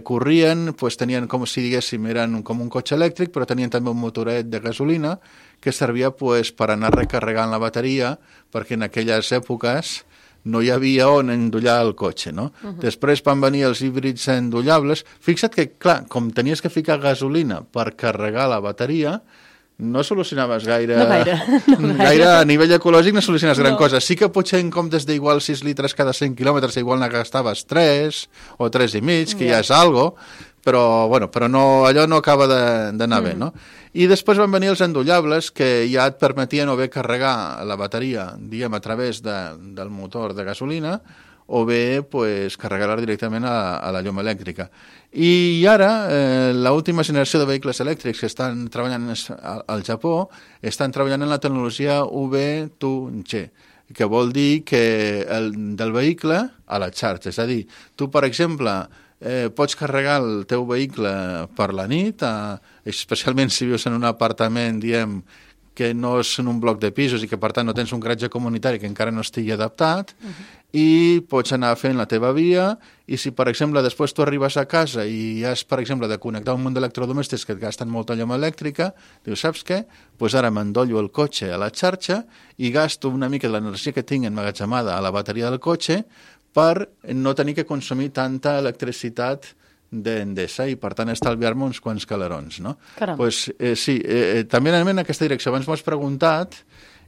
corrien tenien, com si diguéssim, eren com un cotxe elèctric, però tenien també un motoret de gasolina que servia per anar recarregant la bateria, perquè en aquelles èpoques no hi havia on endollar el cotxe, no? Després van venir els híbrids endollables. Fixa't que, clar, com tenies que ficar gasolina per carregar la bateria, no solucionaves gaire... No gaire. Gaire a nivell ecològic no soluciones gran cosa. Sí que potser en comptes d'igual 6 litres cada 100 quilòmetres, igual ne gastaves 3 o 3,5, que ja és algo, però no, allò no acaba d'anar bé, no? I després van venir els endollables que ja et permetien o bé carregar la bateria, diguem, a través del motor de gasolina, o bé pues, carregar-la directament a la llum elèctrica. I ara, l'última generació de vehicles elèctrics que estan treballant al Japó estan treballant en la tecnologia V2G, que vol dir que del vehicle a la xarxa. És a dir, tu, per exemple, pots carregar el teu vehicle per la nit, especialment si vius en un apartament, diem, que no és en un bloc de pisos i que, per tant, no tens un garatge comunitari que encara no estigui adaptat, i pots anar fent la teva via, i si, per exemple, després tu arribes a casa i has, per exemple, de connectar un munt d'electrodomèstics que et gasten molta llum elèctrica, dius, saps què? Doncs ara m'endollo el cotxe a la xarxa i gasto una mica de l'energia que tinc emmagatzemada a la bateria del cotxe per no tenir que consumir tanta electricitat d'Endesa i, per tant, estalviar-me uns quants calerons, no? Pues, sí, també anem en aquesta direcció. Abans m'ho has preguntat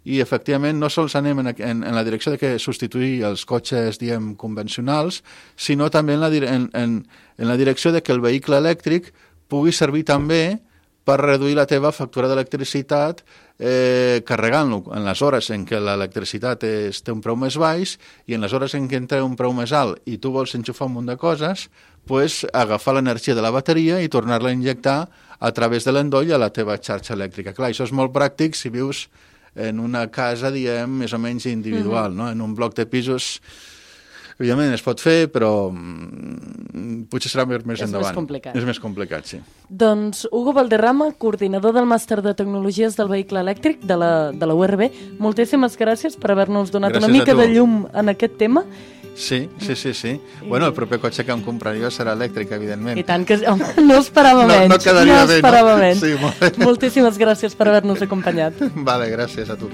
i, efectivament, no sols anem en la direcció de que substituir els cotxes, diem, convencionals, sinó també en la direcció de que el vehicle elèctric pugui servir també per reduir la teva factura d'electricitat carregant-lo en les hores en què l'electricitat té un preu més baix i en les hores en què té un preu més alt i tu vols enxufar un munt de coses, pues, agafar l'energia de la bateria i tornar-la a injectar a través de l'endoll a la teva xarxa elèctrica. Clar, això és molt pràctic si vius en una casa, diem, més o menys individual, no? En un bloc de pisos, evidentment es pot fer, però potser serà més endavant. És més complicat. És més complicat, sí. Doncs Hugo Valderrama, coordinador del Màster de Tecnologies del Vehicle Elèctric de la URB, moltíssimes gràcies per haver-nos donat una mica de llum en aquest tema. Sí. Bueno, el proper cotxe que em compraria serà elèctric, evidentment. I tant que... No esperava menys. No quedaria bé, no? Menys. Sí, molt bé. Moltíssimes gràcies per haver-nos acompanyat. Vale, gràcies a tu.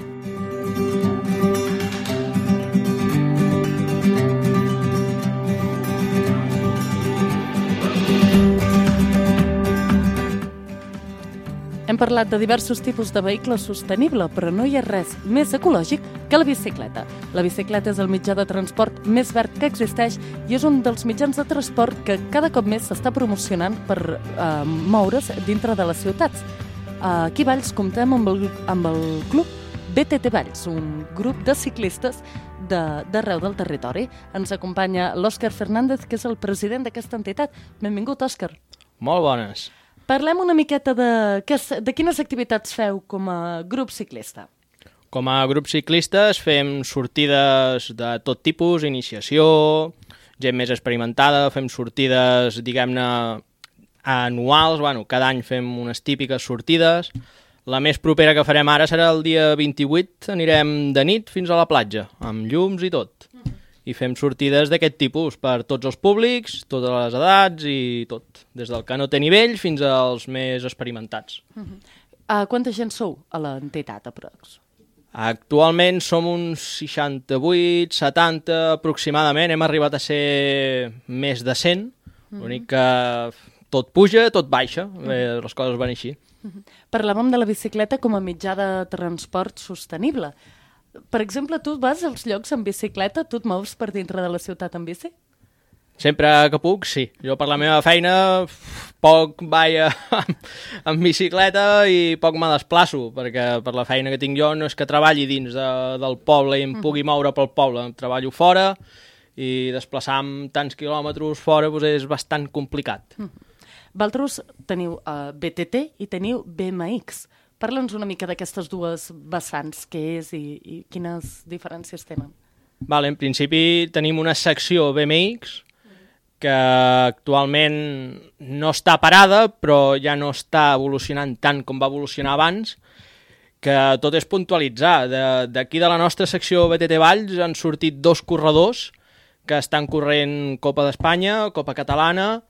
Hem parlat de diversos tipus de vehicle sostenible, però no hi ha res més ecològic que la bicicleta. La bicicleta és el mitjà de transport més verd que existeix i és un dels mitjans de transport que cada cop més s'està promocionant per moure's dintre de les ciutats. Aquí a Valls comptem amb el club BTT Valls, un grup de ciclistes d'arreu del territori. Ens acompanya l'Òscar Fernández, que és el president d'aquesta entitat. Benvingut, Òscar. Molt bones. Parlem una miqueta de quines activitats feu com a grup ciclista. Com a grup ciclistes fem sortides de tot tipus, iniciació, gent més experimentada, fem sortides, diguem-ne, anuals, cada any fem unes típiques sortides. La més propera que farem ara serà el dia 28, anirem de nit fins a la platja, amb llums i tot. I fem sortides d'aquest tipus per tots els públics, totes les edats i tot, des del que no té nivell fins als més experimentats. Quanta gent sou a l'entitat, aprox? Actualment som uns 68, 70 aproximadament, hem arribat a ser més de 100, l'únic que tot puja, tot baixa, les coses van així. Parlàvem de la bicicleta com a mitjà de transport sostenible. Per exemple, tu vas als llocs en bicicleta? Tu et mous per dintre de la ciutat en bici? Sempre que puc, sí. Jo per la meva feina poc vaig en bicicleta i poc me desplaço, perquè per la feina que tinc jo no és que treballi dins del poble i em pugui moure pel poble. Treballo fora i desplaçar-me tants quilòmetres fora és bastant complicat. Vosaltres teniu BTT i teniu BMX. Parla'ns una mica d'aquestes dues vessants, què és i quines diferències tenen. En principi tenim una secció BMX que actualment no està parada, però ja no està evolucionant tant com va evolucionar abans, que tot és puntualitzar. D'aquí de la nostra secció BTT Valls han sortit 2 corredors que estan corrent Copa d'Espanya, Copa Catalana,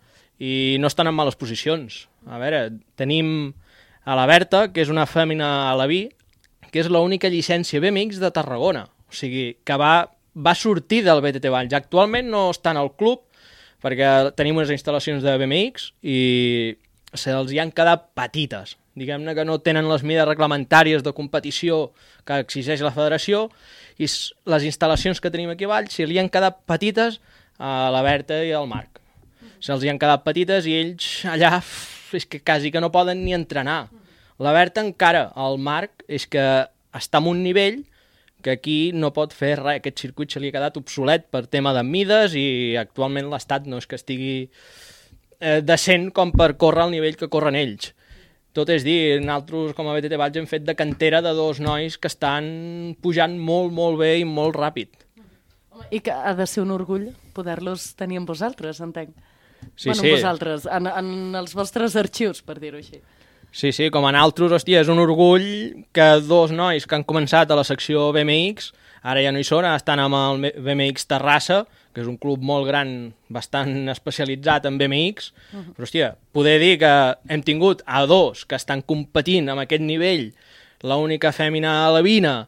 i no estan en males posicions. A veure, tenim a la Berta, que és una fèmina alaví, que és l'única llicència BMX de Tarragona. O sigui, que va sortir del BTT Valls. Actualment no està en el club, perquè tenim unes instal·lacions de BMX i se'ls hi han quedat petites. diguem-ne que no tenen les mides reglamentàries de competició que exigeix la federació, i les instal·lacions que tenim aquí a Valls se li han quedat petites a la Berta i al Marc. Se'ls hi han quedat petites i ells allà és que quasi que no poden ni entrenar. La Berta encara, el Marc, és que està en un nivell que aquí no pot fer res. Aquest circuit se li ha quedat obsolet per tema de mides i actualment l'estat no és que estigui decent com per córrer al nivell que corren ells. Tot és dir, nosaltres com a BTT Valls hem fet de cantera de 2 nois que estan pujant molt, molt bé i molt ràpid. I que ha de ser un orgull poder-los tenir amb vosaltres, entenc. Sí, bueno, sí. amb vosaltres, en els vostres arxius, per dir-ho així. Sí, sí, com a nosaltres, hòstia, és un orgull que 2 nois que han començat a la secció BMX, ara ja no hi són, estan amb el BMX Terrassa, que és un club molt gran, bastant especialitzat en BMX, però, hòstia, poder dir que hem tingut a 2 que estan competint amb aquest nivell, l'única fèmina alevina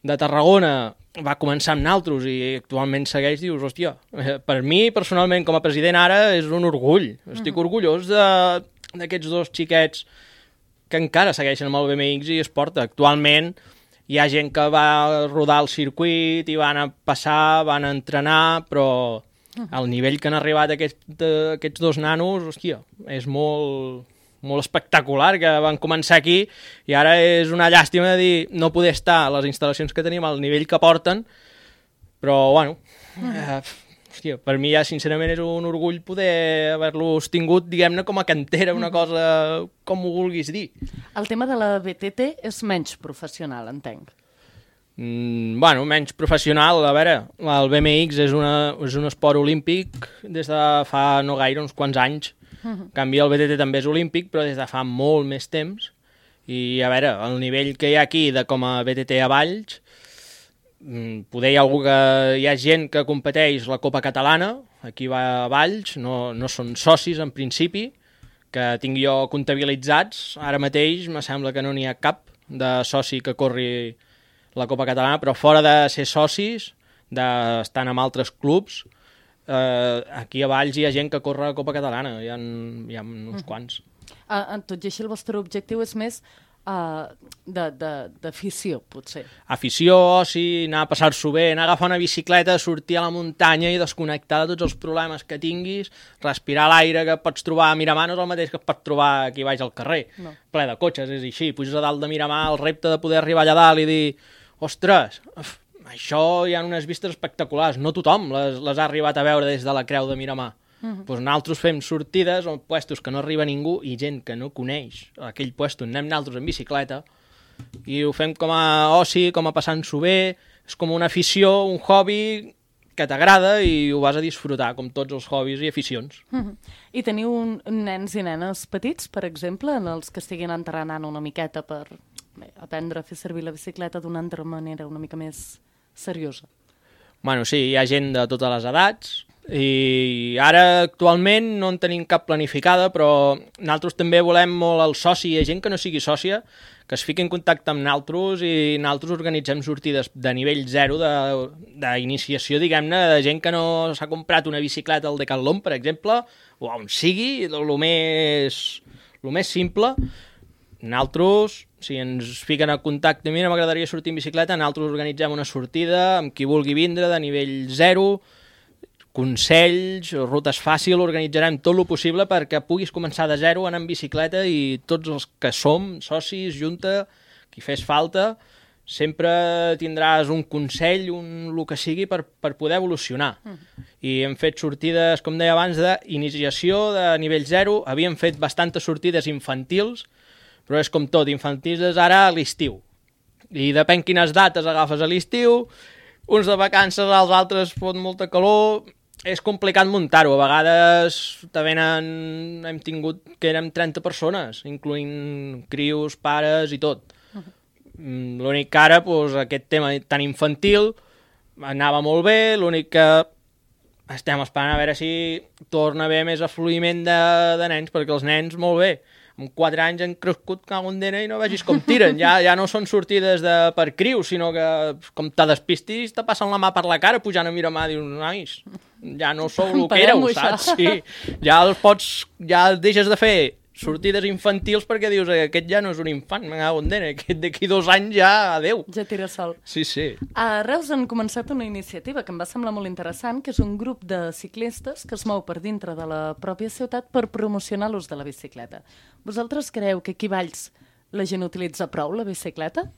de Tarragona va començar amb naltros i actualment segueix, dius, hòstia, per mi, personalment, com a president ara, és un orgull. Estic orgullós d'aquests 2 xiquets que encara segueixen amb el BMX i es porta. Actualment hi ha gent que va rodar el circuit i van a passar, van a entrenar, però el nivell que han arribat aquests 2 nanos, hòstia, és molt espectacular, que van començar aquí i ara és una llàstima de dir no poder estar a les instal·lacions que tenim al nivell que porten, però bueno, hòstia, per mi ja sincerament és un orgull poder haver-los tingut, diguem-ne, com a cantera, una cosa com ho vulguis dir. El tema de la BTT és menys professional, entenc. Bueno, menys professional, a veure, el BMX és un esport olímpic des de fa no gaire, uns quants anys. En canvi, el BTT també és olímpic, però des de fa molt més temps. I, a veure, el nivell que hi ha aquí de com a BTT a Valls, poder hi ha gent que competeix la Copa Catalana, aquí va a Valls, no són socis en principi, que tinc jo comptabilitzats. Ara mateix me sembla que no n'hi ha cap de soci que corri la Copa Catalana, però fora de ser socis, estan amb altres clubs, aquí a Valls hi ha gent que corre la Copa Catalana, hi ha uns quants. Tot i així el vostre objectiu és més d'afició, potser. Afició, oci, anar a passar-s'ho bé, anar a agafar una bicicleta, sortir a la muntanya i desconnectar de tots els problemes que tinguis, respirar l'aire que pots trobar a Miramar no és el mateix que pots trobar aquí baix al carrer, ple de cotxes, és així, puges a dalt de Miramar, el repte de poder arribar allà dalt i dir, ostres, això hi ha unes vistes espectaculars, no tothom les ha arribat a veure des de la creu de Miramar. Doncs nosaltres fem sortides o puestos que no arriba ningú i gent que no coneix aquell puesto, anem nosaltres en bicicleta i ho fem com a oci, com a passant-s'ho bé, és com una afició, un hobby que t'agrada i ho vas a disfrutar, com tots els hobbies i aficions. I teniu nens i nenes petits, per exemple, en els que estiguin entrenant una miqueta per aprendre a fer servir la bicicleta d'una altra manera una mica més seriosa? Bueno, sí, hi ha gent de totes les edats, i ara actualment no en tenim cap planificada, però nosaltres també volem molt el soci, hi ha gent que no sigui sòcia, que es fiqui en contacte amb nosaltres i nosaltres organitzem sortides de nivell 0 d'iniciació, diguem-ne, de gent que no s'ha comprat una bicicleta al Decathlon, per exemple, o on sigui, el més simple. Nosaltres, si ens fiquen en contacte, mira, m'agradaria sortir en bicicleta, nosaltres organitzem una sortida amb qui vulgui vindre de nivell 0, consells, rutes fàcils, organitzarem tot el possible perquè puguis començar de 0 anar en bicicleta i tots els que som, socis, junta, qui fes falta, sempre tindràs un consell, el que sigui, per poder evolucionar. I hem fet sortides, com deia abans, d'iniciació de nivell 0, havíem fet bastantes sortides infantils, però és com tot, infantils és ara a l'estiu. I depèn quines dates agafes a l'estiu, uns de vacances, els altres fot molta calor, és complicat muntar-ho. A vegades hem tingut que érem 30 persones, incloent crios, pares i tot. L'únic que ara, aquest tema tan infantil, anava molt bé, l'únic que estem esperant a veure si torna a haver més afluïment de nens, perquè els nens, molt bé, amb 4 anys han crescut cagondena i no vegis com tiren. Ja no són sortides per crius, sinó que com te despistis te passen la mà per la cara pujant a Miramar i dius, nois, ja no sou el que éreu, saps? Sí. Ja deixes de fer sortides infantils perquè dius, aquest ja no és un infant, me cago en dena, aquest d'aquí 2 anys ja, adeu. Ja tira sol. Sí, sí. A Reus han començat una iniciativa que em va semblar molt interessant, que és un grup de ciclistes que es mou per dintre de la pròpia ciutat per promocionar l'ús de la bicicleta. Vosaltres creu que aquí a Valls la gent utilitza prou la bicicleta?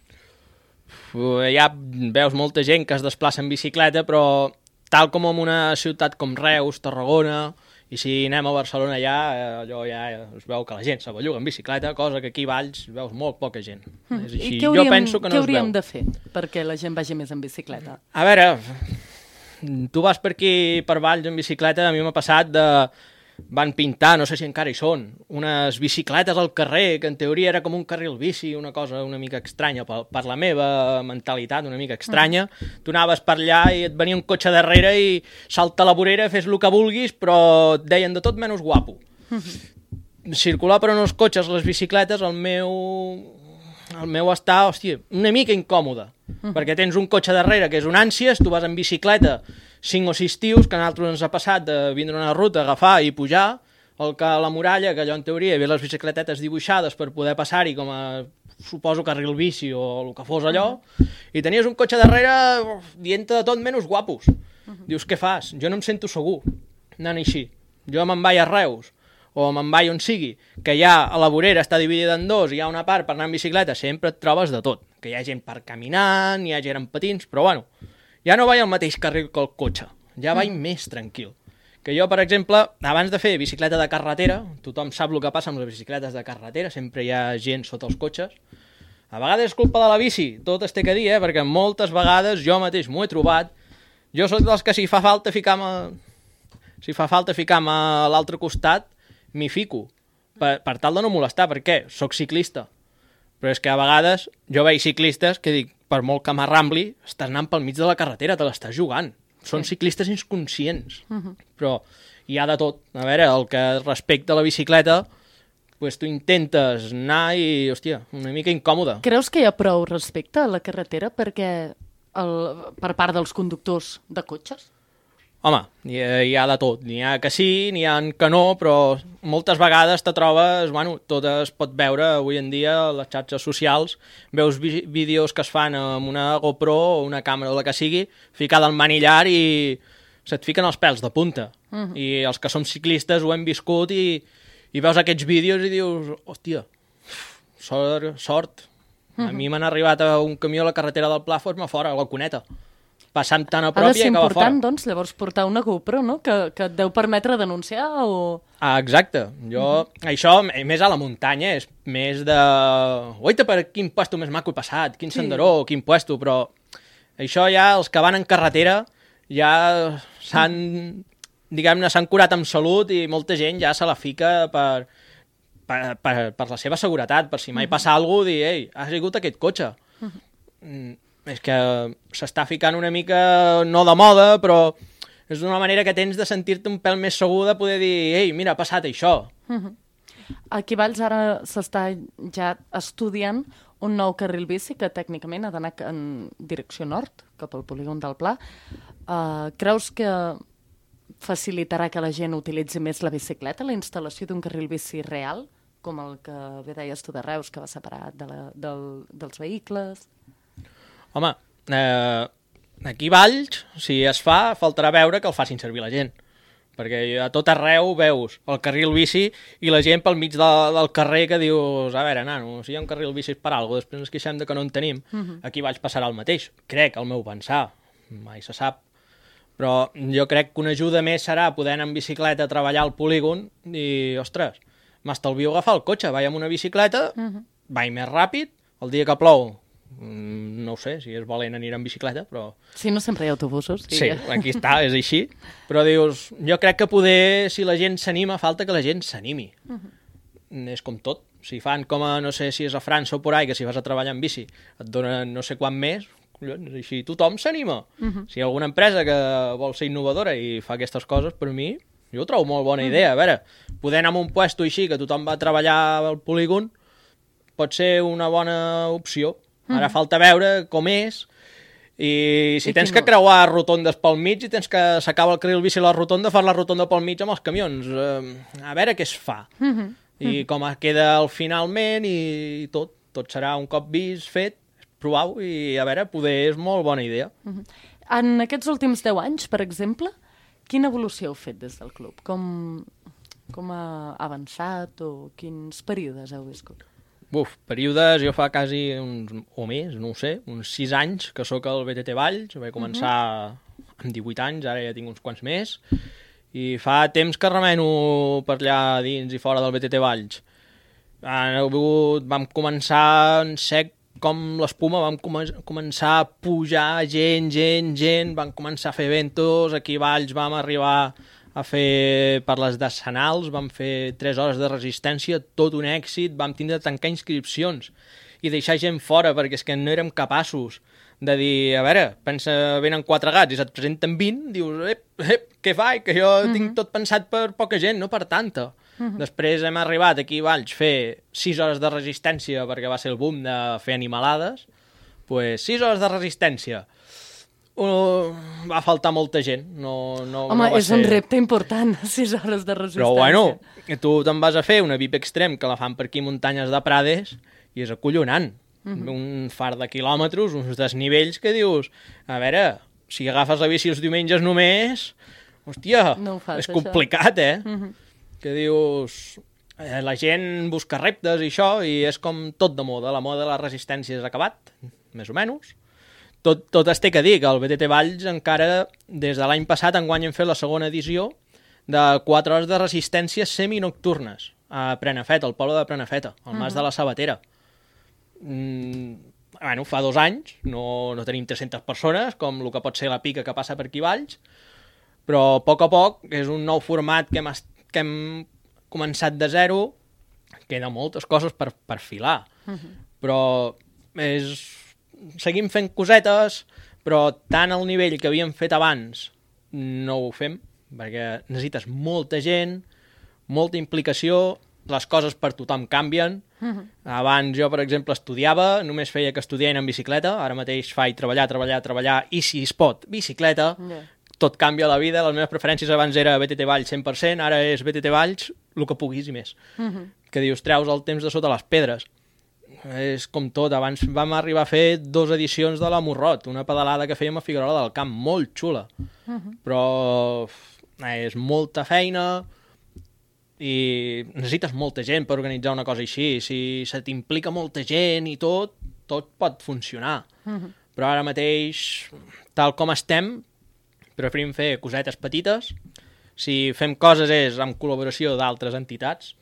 Ja veus molta gent que es desplaça en bicicleta, però tal com en una ciutat com Reus, Tarragona, i si anem a Barcelona allò ja es veu que la gent se belluga en bicicleta, cosa que aquí a Valls veus molt poca gent. És així. I Jo penso que no es veu. què hauríem de fer perquè la gent vagi més en bicicleta? A veure, tu vas per aquí, per Valls, en bicicleta, a mi m'ha passat de... Van pintar, no sé si encara hi són, unes bicicletes al carrer, que en teoria era com un carril bici, una cosa una mica estranya, per la meva mentalitat, una mica estranya. Tu anaves per allà i et venia un cotxe darrere i salta a la vorera, fes el que vulguis, però et deien de tot menys guapo. Circular per uns cotxes, les bicicletes, el meu està, hòstia, una mica incòmode, perquè tens un cotxe darrere que és un ànsies, tu vas en bicicleta 5 o 6 tios, que a nosaltres ens ha passat de vindre una ruta, agafar i pujar a la muralla, que allò en teoria hi havia les bicicletetes dibuixades per poder passar-hi com a, suposo, carril bici o el que fos allò, i tenies un cotxe darrere dient-te de tot menys guapos. Dius, què fas? Jo no em sento segur anant així. Jo me'n vaig a Reus, o me'n vaig on sigui, que ja a la vorera està dividida en dos i hi ha una part per anar en bicicleta, sempre et trobes de tot. Que hi ha gent per caminant, hi ha gent en patins, però bueno, ja no vaig al mateix carril que el cotxe, ja vaig més tranquil. Que jo, per exemple, abans de fer bicicleta de carretera, tothom sap el que passa amb les bicicletes de carretera, sempre hi ha gent sota els cotxes. A vegades és culpa de la bici, tot es té que dir, perquè moltes vegades jo mateix m'ho he trobat. Jo soc dels que si fa falta ficar-me a l'altre costat, m'hi fico, per tal de no molestar, perquè soc ciclista. Però és que a vegades jo veig ciclistes que dic, per molt que m'arrambli, estàs anant pel mig de la carretera, te l'estàs jugant. Són ciclistes inconscients. Però hi ha de tot. A veure, el que respecta a la bicicleta, pues tu intentes anar i, hòstia, una mica incòmode. Creus que hi ha prou respecte a la carretera per part dels conductors de cotxes? Home, hi ha de tot. N'hi ha que sí, n'hi ha que no, però moltes vegades te trobes, bueno, tot es pot veure avui en dia a les xarxes socials, veus vídeos que es fan amb una GoPro o una càmera o la que sigui, ficada al manillar i se't fiquen els pèls de punta. I els que som ciclistes ho hem viscut i veus aquests vídeos i dius, hòstia, sort. A mi m'han arribat a un camió a la carretera del Pla, fos-me fora, a la cuneta. Passant tan a prop i acaba fora. Ha de ser important, doncs, llavors portar una GoPro, no? Que et deu permetre denunciar o... Ah, exacte. Això, més a la muntanya, és més de... Oita, per quin puesto més maco he passat, quin senderó, quin puesto, però això ja, els que van en carretera, ja s'han curat amb salut i molta gent ja se la fica per la seva seguretat, per si mai passa alguna cosa, dir, ei, ha sigut aquest cotxe. És que s'està ficant una mica, no de moda, però és una manera que tens de sentir-te un pèl més segur de poder dir, ei, mira, ha passat això. Aquí a Valls ara s'està ja estudiant un nou carril bici que tècnicament ha d'anar en direcció nord, cap al polígon del Pla. Creus que facilitarà que la gent utilitzi més la bicicleta, la instal·lació d'un carril bici real, com el que bé deies tu de Reus, que va separat dels vehicles? Home, aquí a Valls, si es fa, faltarà veure que el facin servir la gent. Perquè a tot arreu veus el carril bici i la gent pel mig del carrer que dius, a veure, nano, si hi ha un carril bici per alguna cosa, després ens queixem de que no en tenim. Aquí a Valls passarà el mateix. Crec, al meu pensar. Mai se sap. Però jo crec que una ajuda més serà poder anar en bicicleta a treballar al polígon i, ostres, m'estalvio agafar el cotxe, vaig amb una bicicleta, vaig més ràpid, el dia que plou, no ho sé, si és valent anirà en bicicleta, però... Sí, no sempre hi ha autobusos. Sí, aquí està, és així. Però dius, jo crec que poder, si la gent s'anima, falta que la gent s'animi. És com tot. Si fan com a, no sé si és a França o por ahí, que si vas a treballar en bici et donen no sé quant més, collons, així tothom s'anima. Si hi ha alguna empresa que vol ser innovadora i fa aquestes coses, per mi, jo ho trobo molt bona idea. A veure, poder anar a un puesto així, que tothom va treballar al polígon, pot ser una bona opció. Ara falta veure com és i si tens que creuar rotondes pel mig i tens que s'acaba el carril bici a la rotonda, fas la rotonda pel mig amb els camions. A veure què es fa. i com queda el finalment i tot. Tot serà un cop vist, fet, provau i a veure, poder és molt bona idea. En aquests últims 10 anys, per exemple, quina evolució heu fet des del club? Com ha avançat o quins períodes heu viscut? Períodes, jo fa quasi o més, no ho sé, uns 6 anys que sóc al BTT Valls, vaig començar amb 18 anys, ara ja tinc uns quants més, i fa temps que remeno per allà dins i fora del BTT Valls. Vam començar en sec com l'espuma, vam començar a pujar gent, vam començar a fer eventos, aquí a Valls vam arribar a fer per les decenals, vam fer 3 hores de resistència, tot un èxit, vam tindre de tancar inscripcions i deixar gent fora perquè és que no érem capaços de dir, a veure, pensa, venen 4 gats i se't presenten 20, dius, què faig? Que jo tinc tot pensat per poca gent, no per tanta. Després hem arribat aquí a Valls a fer 6 hores de resistència perquè va ser el boom de fer animalades, pues 6 hores de resistència. Va faltar molta gent. Home, és un repte important, 6 hores de resistència. Però bueno, tu te'n vas a fer una VIP Extreme que la fan per aquí muntanyes de Prades i és acollonant. Un far de quilòmetres, uns desnivells que dius, a veure, si agafes la bici els diumenges només, hòstia, és complicat, Que dius, la gent busca reptes i això, i és com tot de moda. La moda de la resistència és acabat, més o menys. Tot es té que dir que el BTT Valls encara, des de l'any passat, enguany hem fet la segona edició de 4 hores de resistència seminocturnes a Prenafeta, al poble de Prenafeta, al Mas de la Sabatera. Fa 2 anys, no tenim 300 persones, com el que pot ser la pica que passa per aquí Valls, però a poc és un nou format que hem començat de zero, queda moltes coses per filar, però seguim fent cosetes, però tant al nivell que havíem fet abans no ho fem, perquè necessites molta gent, molta implicació, les coses per tothom canvien. Abans jo, per exemple, estudiava, només feia que estudiar en bicicleta, ara mateix faig treballar, i si es pot, bicicleta, tot canvia a la vida, les meves preferències abans era BTT Valls 100%, ara és BTT Valls, el que puguis i més. Que dius, treus el temps de sota les pedres. És com tot, abans vam arribar a fer 2 edicions de la Morrot, una pedalada que fèiem a Figuerola del Camp, molt xula, però és molta feina i necessites molta gent per organitzar una cosa així. Si se t'implica molta gent i tot pot funcionar. Però ara mateix, tal com estem, preferim fer cosetes petites. Si fem coses és amb col·laboració d'altres entitats,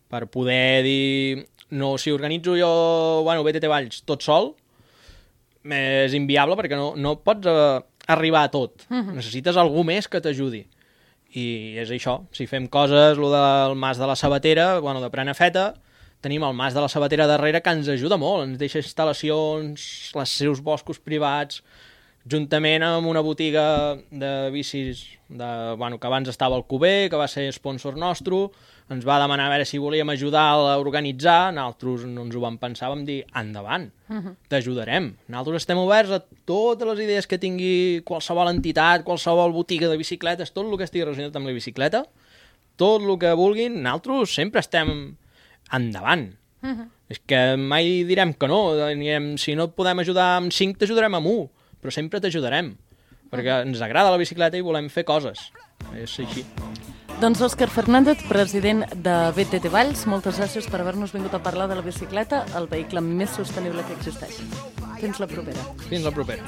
per poder dir... No, si organitzo jo, BTT Valls tot sol, és inviable perquè no pots arribar a tot. Necessites algú més que t'ajudi. I és això, si fem coses, el del Mas de la Sabatera, de Prenafeta, tenim el Mas de la Sabatera darrere que ens ajuda molt, ens deixa instal·lacions, els seus boscos privats, juntament amb una botiga de bicis que abans estava al Cuber, que va ser sponsor nostre, ens va demanar a veure si volíem ajudar a organitzar, nosaltres no ens ho vam pensar, vam dir, endavant, t'ajudarem. Nosaltres estem oberts a totes les idees que tingui qualsevol entitat, qualsevol botiga de bicicletes, tot el que estigui relacionat amb la bicicleta, tot el que vulguin, nosaltres sempre estem endavant. És que mai direm que no, si no et podem ajudar amb 5, t'ajudarem amb 1, però sempre t'ajudarem, perquè ens agrada la bicicleta i volem fer coses. És així. Doncs Òscar Fernández, president de BTT Valls, moltes gràcies per haver-nos vingut a parlar de la bicicleta, el vehicle més sostenible que existeix. Fins la propera. Fins la propera.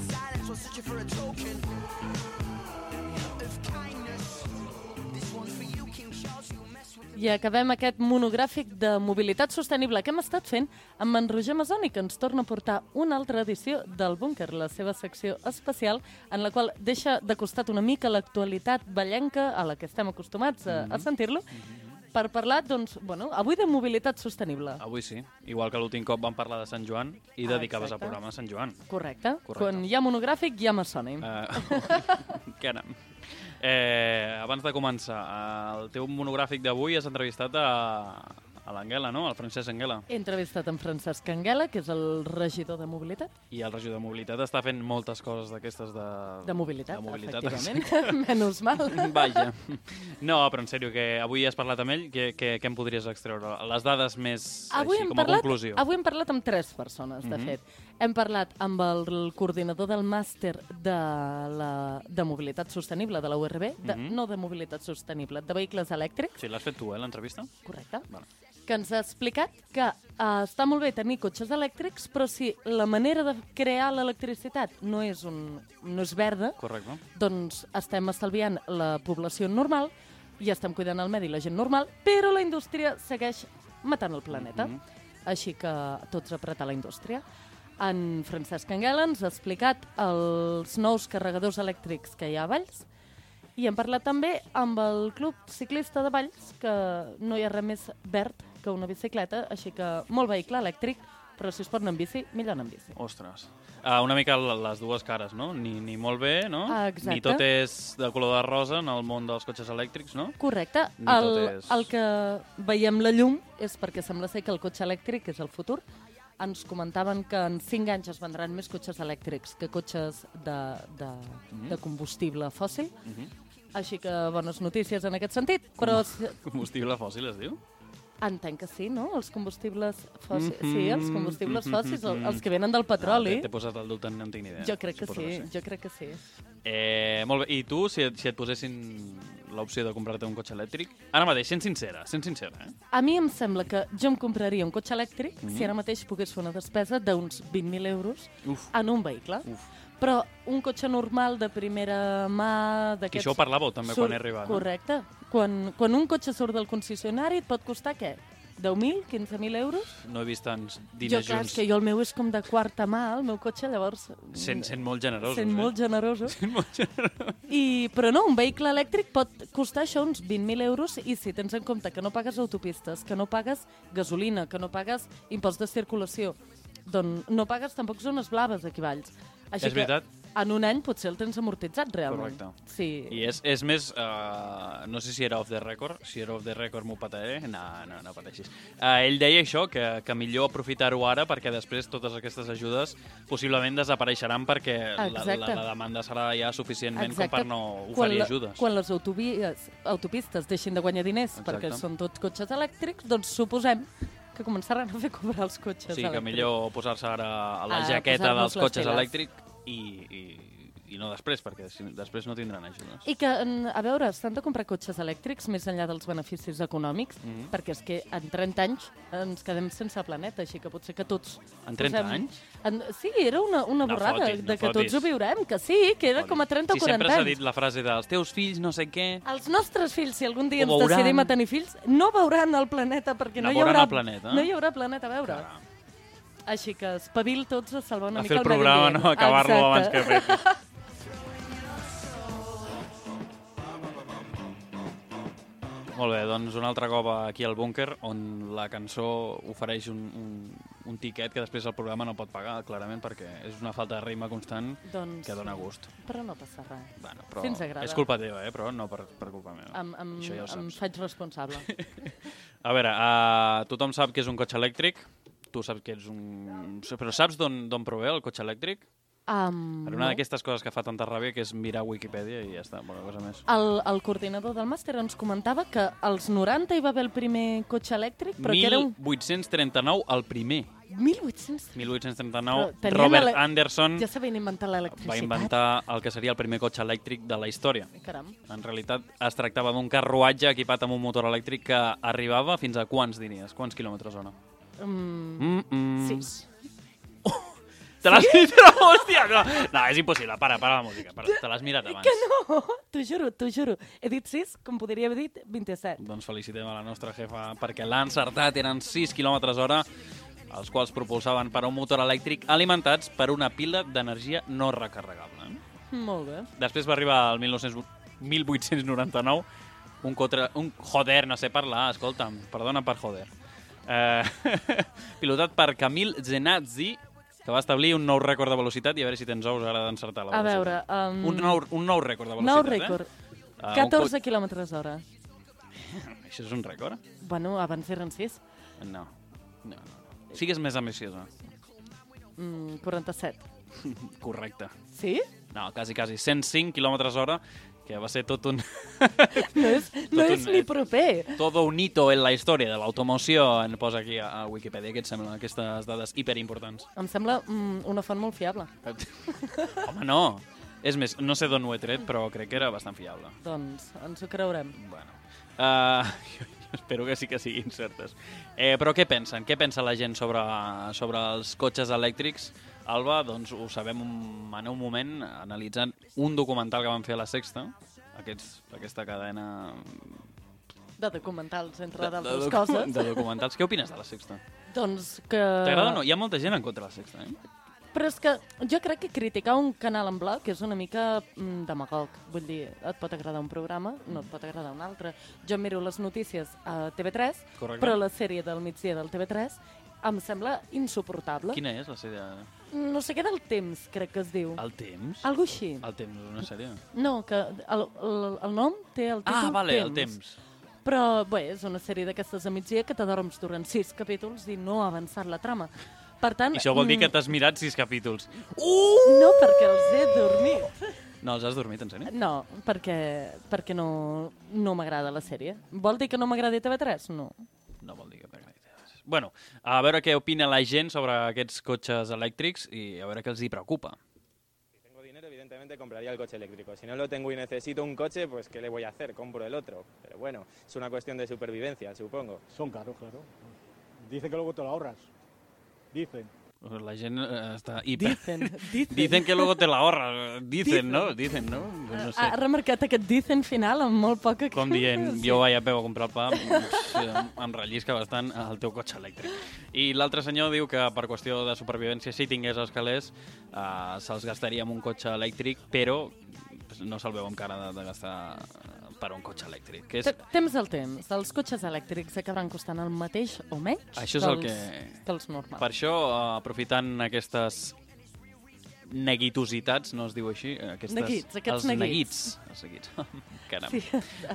I acabem aquest monogràfic de mobilitat sostenible que hem estat fent amb en Roger Masoni, que ens torna a portar una altra edició del Búnquer, la seva secció especial, en la qual deixa de costat una mica l'actualitat vallenca a la que estem acostumats a sentir-lo, per parlar, doncs, avui de mobilitat sostenible. Avui sí, igual que l'últim cop vam parlar de Sant Joan i dedicaves al programa a Sant Joan. Correcte. Quan hi ha monogràfic hi ha Masoni. Què anem? Abans de començar, el teu monogràfic d'avui has entrevistat l'Anguela, no? El Francesc Anguela. He entrevistat en Francesc Anguela, que és el regidor de mobilitat. I el regidor de mobilitat està fent moltes coses d'aquestes De mobilitat, efectivament. efectivament. Menys mal. Vaja. No, però en sèrio, que avui has parlat amb ell, què em podries extreure? Les dades més així, com a conclusió. Avui hem parlat amb 3 persones, de fet. Hem parlat amb el coordinador del màster de mobilitat sostenible de la URB, no de mobilitat sostenible, de vehicles elèctrics. Sí, l'has fet tu, l'entrevista? Correcte. Vale. Que ens ha explicat que està molt bé tenir cotxes elèctrics, però si la manera de crear l'electricitat no és verda, Correcte. doncs estem estalviant la població normal i estem cuidant el medi i la gent normal, però la indústria segueix matant el planeta. Així que tots a apretar la indústria. En Francesc Anguela ens ha explicat els nous carregadors elèctrics que hi ha a Valls i hem parlat també amb el Club Ciclista de Valls, que no hi ha res més verd que una bicicleta, així que molt vehicle elèctric, però si es pot anar en bici, millor anar en bici. Ostres. Una mica les dues cares, no? Ni molt bé, no? Exacte. Ni tot és de color de rosa en el món dels cotxes elèctrics, no? Correcte. Ni tot és- El que veiem la llum és perquè sembla ser que el cotxe elèctric és el futur. Ens comentaven que en 5 anys es vendran més cotxes elèctrics que cotxes de combustible fòssil. Així que bones notícies en aquest sentit. Però Combustible fòssil, es diu? entenc que sí, no? Els combustibles fòssils. Sí, els combustibles fòssils, els que venen del petroli. T'he posat el dubte, no en tinc ni idea. Jo crec que Suposo sí, jo crec que sí. Molt bé, i tu, si et posessin l'opció de comprar-te un cotxe elèctric, ara mateix, sent sincera, A mi em sembla que jo em compraria un cotxe elèctric si ara mateix pogués fer una despesa d'uns 20.000 euros en un vehicle. Però un cotxe normal de primera mà... Que això ho parlàveu també quan he arribat. Correcte. Quan un cotxe surt del concessionari et pot costar què? 10.000, 15.000 euros? No he vist tants Jo, diners clar, és junts. que jo el meu és com de quarta mà, el meu cotxe, llavors... Sent molt generosos, Sent molt generosos. Sent molt generosos. Però no, un vehicle elèctric pot costar això uns 20.000 euros i si tens en compte que no pagues autopistes, que no pagues gasolina, que no pagues impost de circulació, doncs no pagues tampoc zones blaves aquí a Valls. Així És veritat. En un any potser el tens amortitzat, realment. Correcte. Sí. I és més... no sé si era off the record. Si era off the record m'ho pataré. No pateixis. Ell deia això, que millor aprofitar-ho ara perquè després totes aquestes ajudes possiblement desapareixeran perquè la demanda serà ja suficientment com per no oferir ajudes. Quan les autopistes deixin de guanyar diners perquè són tots cotxes elèctrics, doncs suposem que començaran a fer cobrar els cotxes elèctrics. Sí, que millor posar-se ara a la jaqueta dels cotxes elèctrics i no després, perquè després no tindran ajudes. I que, a veure, s'han de comprar cotxes elèctrics més enllà dels beneficis econòmics, perquè és que en 30 anys ens quedem sense planeta, així que potser que tots... En 30 anys? Sí, era una borrada de que tots ho viurem, que sí, que era com a 30 o 40 anys. Si sempre s'ha dit la frase dels teus fills, no sé què... Els nostres fills, si algun dia ens decidim a tenir fills, no veuran el planeta, perquè no hi haurà planeta a veure. Així que espavil tots a salvar una mica el medi ambient. A fer el programa, no? Acabar-lo abans que fer. Molt bé, doncs un altre cop aquí al búnquer, on la cançó ofereix un tiquet que després el programa no pot pagar, clarament, perquè és una falta de rima constant que dona gust. Però no passa res. Bueno, però si ens agrada. És culpa teva, però no per culpa meva. Això ja ho saps. Em faig responsable. A veure, tothom sap que és un cotxe elèctric. Tu saps que ets un... Però saps d'on prové el cotxe elèctric? Per una d'aquestes coses que fa tanta ràbia, que és mirar Wikipedia i ja està, bona cosa més. El coordinador del màster ens comentava que als 90 hi va haver el primer cotxe elèctric, però que era 1839, el primer. 1839. Robert Anderson ja sabien inventar l'electricitat. Va inventar el que seria el primer cotxe elèctric de la història. Caram. En realitat es tractava d'un carruatge equipat amb un motor elèctric que arribava fins a quants diries? Quants quilòmetres hora? 6. Te l'has mirat, hòstia! No, és impossible, para la música. Te l'has mirat abans. Que no! T'ho juro. He dit 6, com podria haver dit 27. Doncs felicitem a la nostra jefa perquè l'ha encertat. Eren 6 quilòmetres hora, els quals propulsaven per un motor elèctric alimentats per una pila d'energia no recarregable. Molt bé. Després va arribar el 1899 un joder, no sé parlar, escolta'm, perdona per joder. Pilotat per Camille Genazzi, que va establir un nou rècord de velocitat, i a veure si tens ous ara d'encertar la velocitat. A veure... Un nou rècord de velocitat, Nou rècord. 14 quilòmetres hora. Això és un rècord? Bueno, abans eren 6. No. Sigues més ambiciosa. 47. Correcte. Sí? No, quasi. 105 km/h, que va ser tot un... No és ni proper. Todo un hito en la història de l'automoció, en posa aquí a Wikipedia. Què et sembla, aquestes dades hiperimportants? Em sembla una font molt fiable. Home, no. És més, no sé d'on ho he tret, però crec que era bastant fiable. Doncs ens ho creurem. Bueno, jo espero que sí que siguin certes. Però què pensen? Què pensa la gent sobre els cotxes elèctrics? Alba, doncs ho sabem en un moment, analitzant un documental que van fer a La Sexta, aquesta cadena... De documentals, entre d'altres coses. De documentals. Què opines de La Sexta? Doncs que... T'agrada o no? Hi ha molta gent en contra de La Sexta, Però és que jo crec que criticar un canal en bloc és una mica demagog. Vull dir, et pot agradar un programa, no et pot agradar un altre. Jo miro les notícies a TV3, Correcte. però la sèrie del migdia del TV3 em sembla insuportable. Quina és la sèrie? No sé què del temps, crec que es diu. El temps? Algo així. El temps és una sèrie? No, que el nom té el títol vale, Temps. el temps. Però, bé, és una sèrie d'aquestes a migdia que t'adorms durant 6 capítols i no ha avançat la trama. Per tant... I això vol dir que t'has mirat 6 capítols. No, perquè els he dormit. No, els has dormit, en sèrio? No, perquè no m'agrada la sèrie. Vol dir que no m'agradi TV3? No. No vol dir que t'agradi. Bueno, a veure què opina la gent sobre aquests cotxes elèctrics i a veure què els hi preocupa. Si tengo dinero, evidentemente compraría el coche eléctrico. Si no lo tengo y necesito un coche, pues ¿qué le voy a hacer? Compro el otro. Pero bueno, es una cuestión de supervivencia, supongo. Son caros, claro. Dice que luego te lo ahorras. Dicen. La gent està hiper... Dicen que luego te la ahorras. Dicen, ¿no? Dicen, ¿no? Pues no sé. Ha remarcat aquest dicen final amb molt poca... Com dient, jo vaig a peu a comprar el pa, em rellisca bastant el teu cotxe elèctric. I l'altre senyor diu que per qüestió de supervivència, si tingués els calés, se'ls gastaria amb un cotxe elèctric, però no se'l veu amb cara de gastar per un cotxe elèctric. Que és... Temps al temps. Els cotxes elèctrics acabaran costant el mateix o menys Això és el que els normals. Per això, aprofitant aquestes neguitositats, no es diu així? Neguits, aquests neguits. Els neguits. Caram. Sí,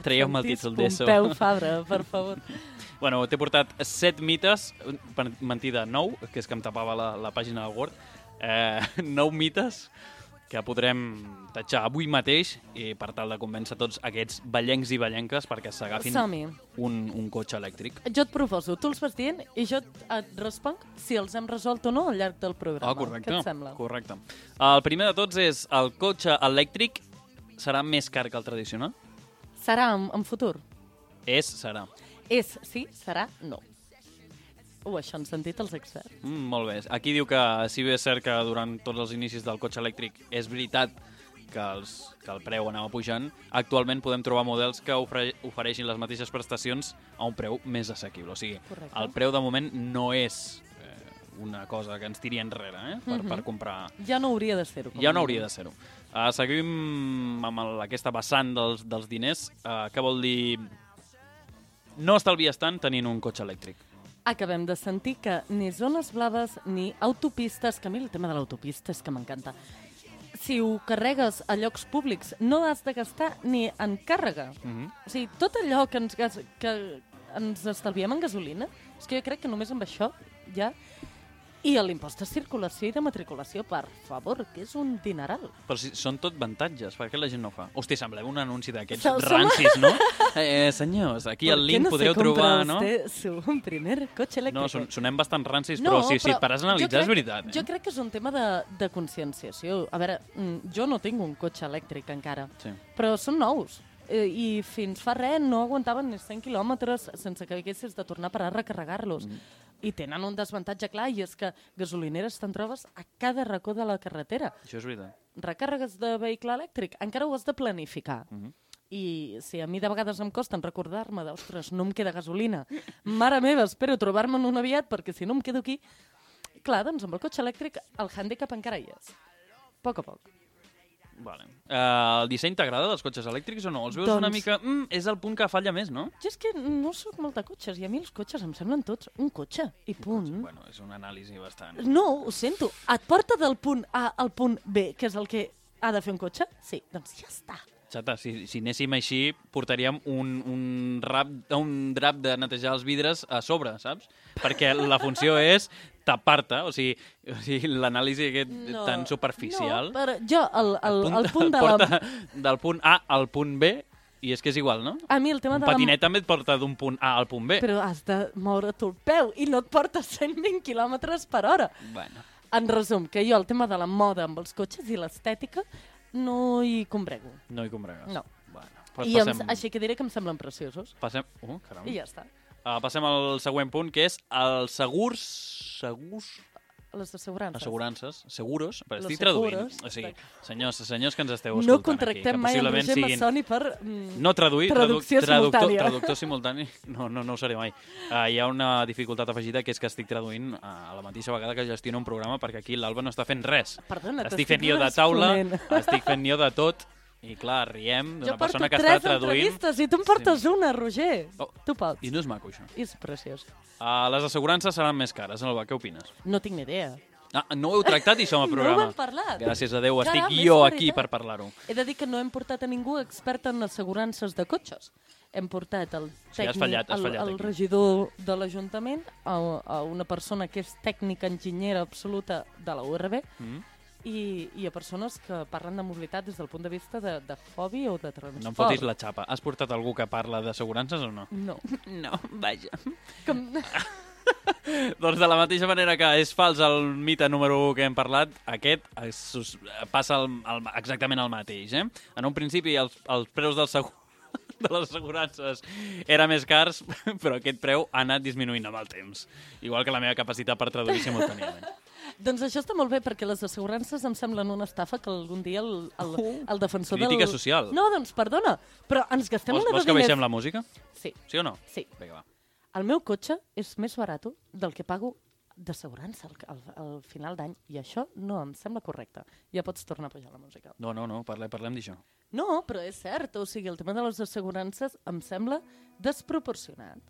Traieu-me el títol d'ESO. Pompeu Fabra, per favor. Bueno, t'he portat 7 mites, mentida, 9, que és que em tapava la pàgina del Word, 9 mites que podrem tatxar avui mateix i per tal de convèncer tots aquests ballencs i ballenques perquè s'agafin un cotxe elèctric. Jo et proposo, tu els vas dient i jo et responc si els hem resolt o no al llarg del programa. Correcte. Què et sembla? Correcte. El primer de tots és el cotxe elèctric serà més car que el tradicional? Serà en futur? Serà. És, sí, serà, no. Això han sentit els experts. Molt bé. Aquí diu que si bé és cert que durant tots els inicis del cotxe elèctric és veritat que el preu anava pujant, actualment podem trobar models que ofereixin les mateixes prestacions a un preu més assequible. O sigui, correcte. El preu de moment no és una cosa que ens tiri enrere per comprar. Ja no hauria de ser-ho. Ja no hauria de ser-ho. Seguim amb aquesta vessant dels diners. Què vol dir no estalvies tant tenint un cotxe elèctric? Acabem de sentir que ni zones blaves ni autopistes, que a mi el tema de l'autopista és que m'encanta. Si ho carregues a llocs públics no has de gastar ni en càrrega. O sigui, tot allò que ens estalviem en gasolina, és que jo crec que només amb això ja... I l'impost de circulació i de matriculació, per favor, que és un dineral. Però si són tot avantatges, per què la gent no ho fa? Hosti, semblem un anunci d'aquests rancis, no? Senyors, aquí al link podreu trobar, no? ¿Por qué no se compra usted su primer cotxe elèctric? No, sonem bastant rancis, però si et pares a analitzar és veritat. Jo crec que és un tema de conscienciació. A veure, jo no tinc un cotxe elèctric encara, però són nous. I fins fa res no aguantaven ni 100 quilòmetres sense que haguessis de tornar a parar a recarregar-los. I tenen un desavantatge clar, i és que gasolineres te'n trobes a cada racó de la carretera. Això és veritat. Recàrregues de vehicle elèctric, encara ho has de planificar. I si a mi de vegades em costa recordar-me d'ostres, no em queda gasolina. Mare meva, espero trobar-me'n un aviat perquè si no em quedo aquí... Clar, doncs amb el cotxe elèctric el hàndicap encara hi és. A poc a poc. Vale. El disseny t'agrada dels cotxes elèctrics o no? Els veus una mica... és el punt que falla més, no? Jo és que no soc molt de cotxes i a mi els cotxes em semblen tots un cotxe i punt. Bueno, és una anàlisi bastant... No, ho sento. Et porta del punt A al punt B, que és el que ha de fer un cotxe? Sí, doncs ja està. Xata, si anéssim així, portaríem un drap de netejar els vidres a sobre, saps? Perquè la funció és tapar-te, o sigui l'anàlisi aquest tan superficial... No, però jo, el punt de la... Porta del punt A al punt B, i és que és igual, no? A mi el tema un de la... patinet també et porta d'un punt A al punt B. Però has de moure tu el peu i no et porta 120 km per hora. Bueno. En resum, que jo el tema de la moda amb els cotxes i l'estètica no hi combrego. No hi combregues? No. Bueno, així que diré que em semblen preciosos. Passem... caram. I ja està. Passem al següent punt, que és els segurs... Les assegurances. Assegurances. Seguros. Los Estic traduint. seguros. O sigui, senyors que ens esteu escoltant No contractem aquí, mai en Roger Massoni per no traduir, traducció simultània. Traductor simultani, no ho seré mai. Hi ha una dificultat afegida, que és que estic traduint a la mateixa vegada que gestiono un programa, perquè aquí l'Alba no està fent res. Perdona, estic fent jo de taula, estic fent jo de tot, i clar, riem d'una persona que està traduint... Jo porto 3 entrevistes i tu em portes una, Roger. Tu pots. I no és maco, això. És preciós. Les assegurances seran més cares, Alba, què opines? No tinc ni idea. No ho heu tractat, això, al programa? No ho hem parlat. Gràcies a Déu, Caram, estic jo aquí per parlar-ho. He de dir que no hem portat a ningú expert en assegurances de cotxes. Hem portat el tècnic, el regidor de l'Ajuntament, a una persona que és tècnica enginyera absoluta de la URB, i a persones que parlen de mobilitat des del punt de vista de fobi o de transport. No em fotis la xapa. Has portat algú que parla d'assegurances o no? No. No, vaja. Doncs de la mateixa manera que és fals el mite número 1 que hem parlat, aquest passa exactament el mateix. En un principi els preus de les assegurances eren més cars, però aquest preu ha anat disminuint amb el temps. Igual que la meva capacitat per traduir simultàniament. Doncs això està molt bé, perquè les assegurances em semblen una estafa que algun dia el defensor Crítica social. No, doncs perdona, però ens gastem una de diners... Vols que baixem la música? Sí. Sí o no? Sí. Vinga, va. El meu cotxe és més barat del que pago d'assegurança al final d'any, i això no em sembla correcte. Ja pots tornar a pujar la música. No, parlem d'això. No, però és cert, o sigui, el tema de les assegurances em sembla desproporcionat.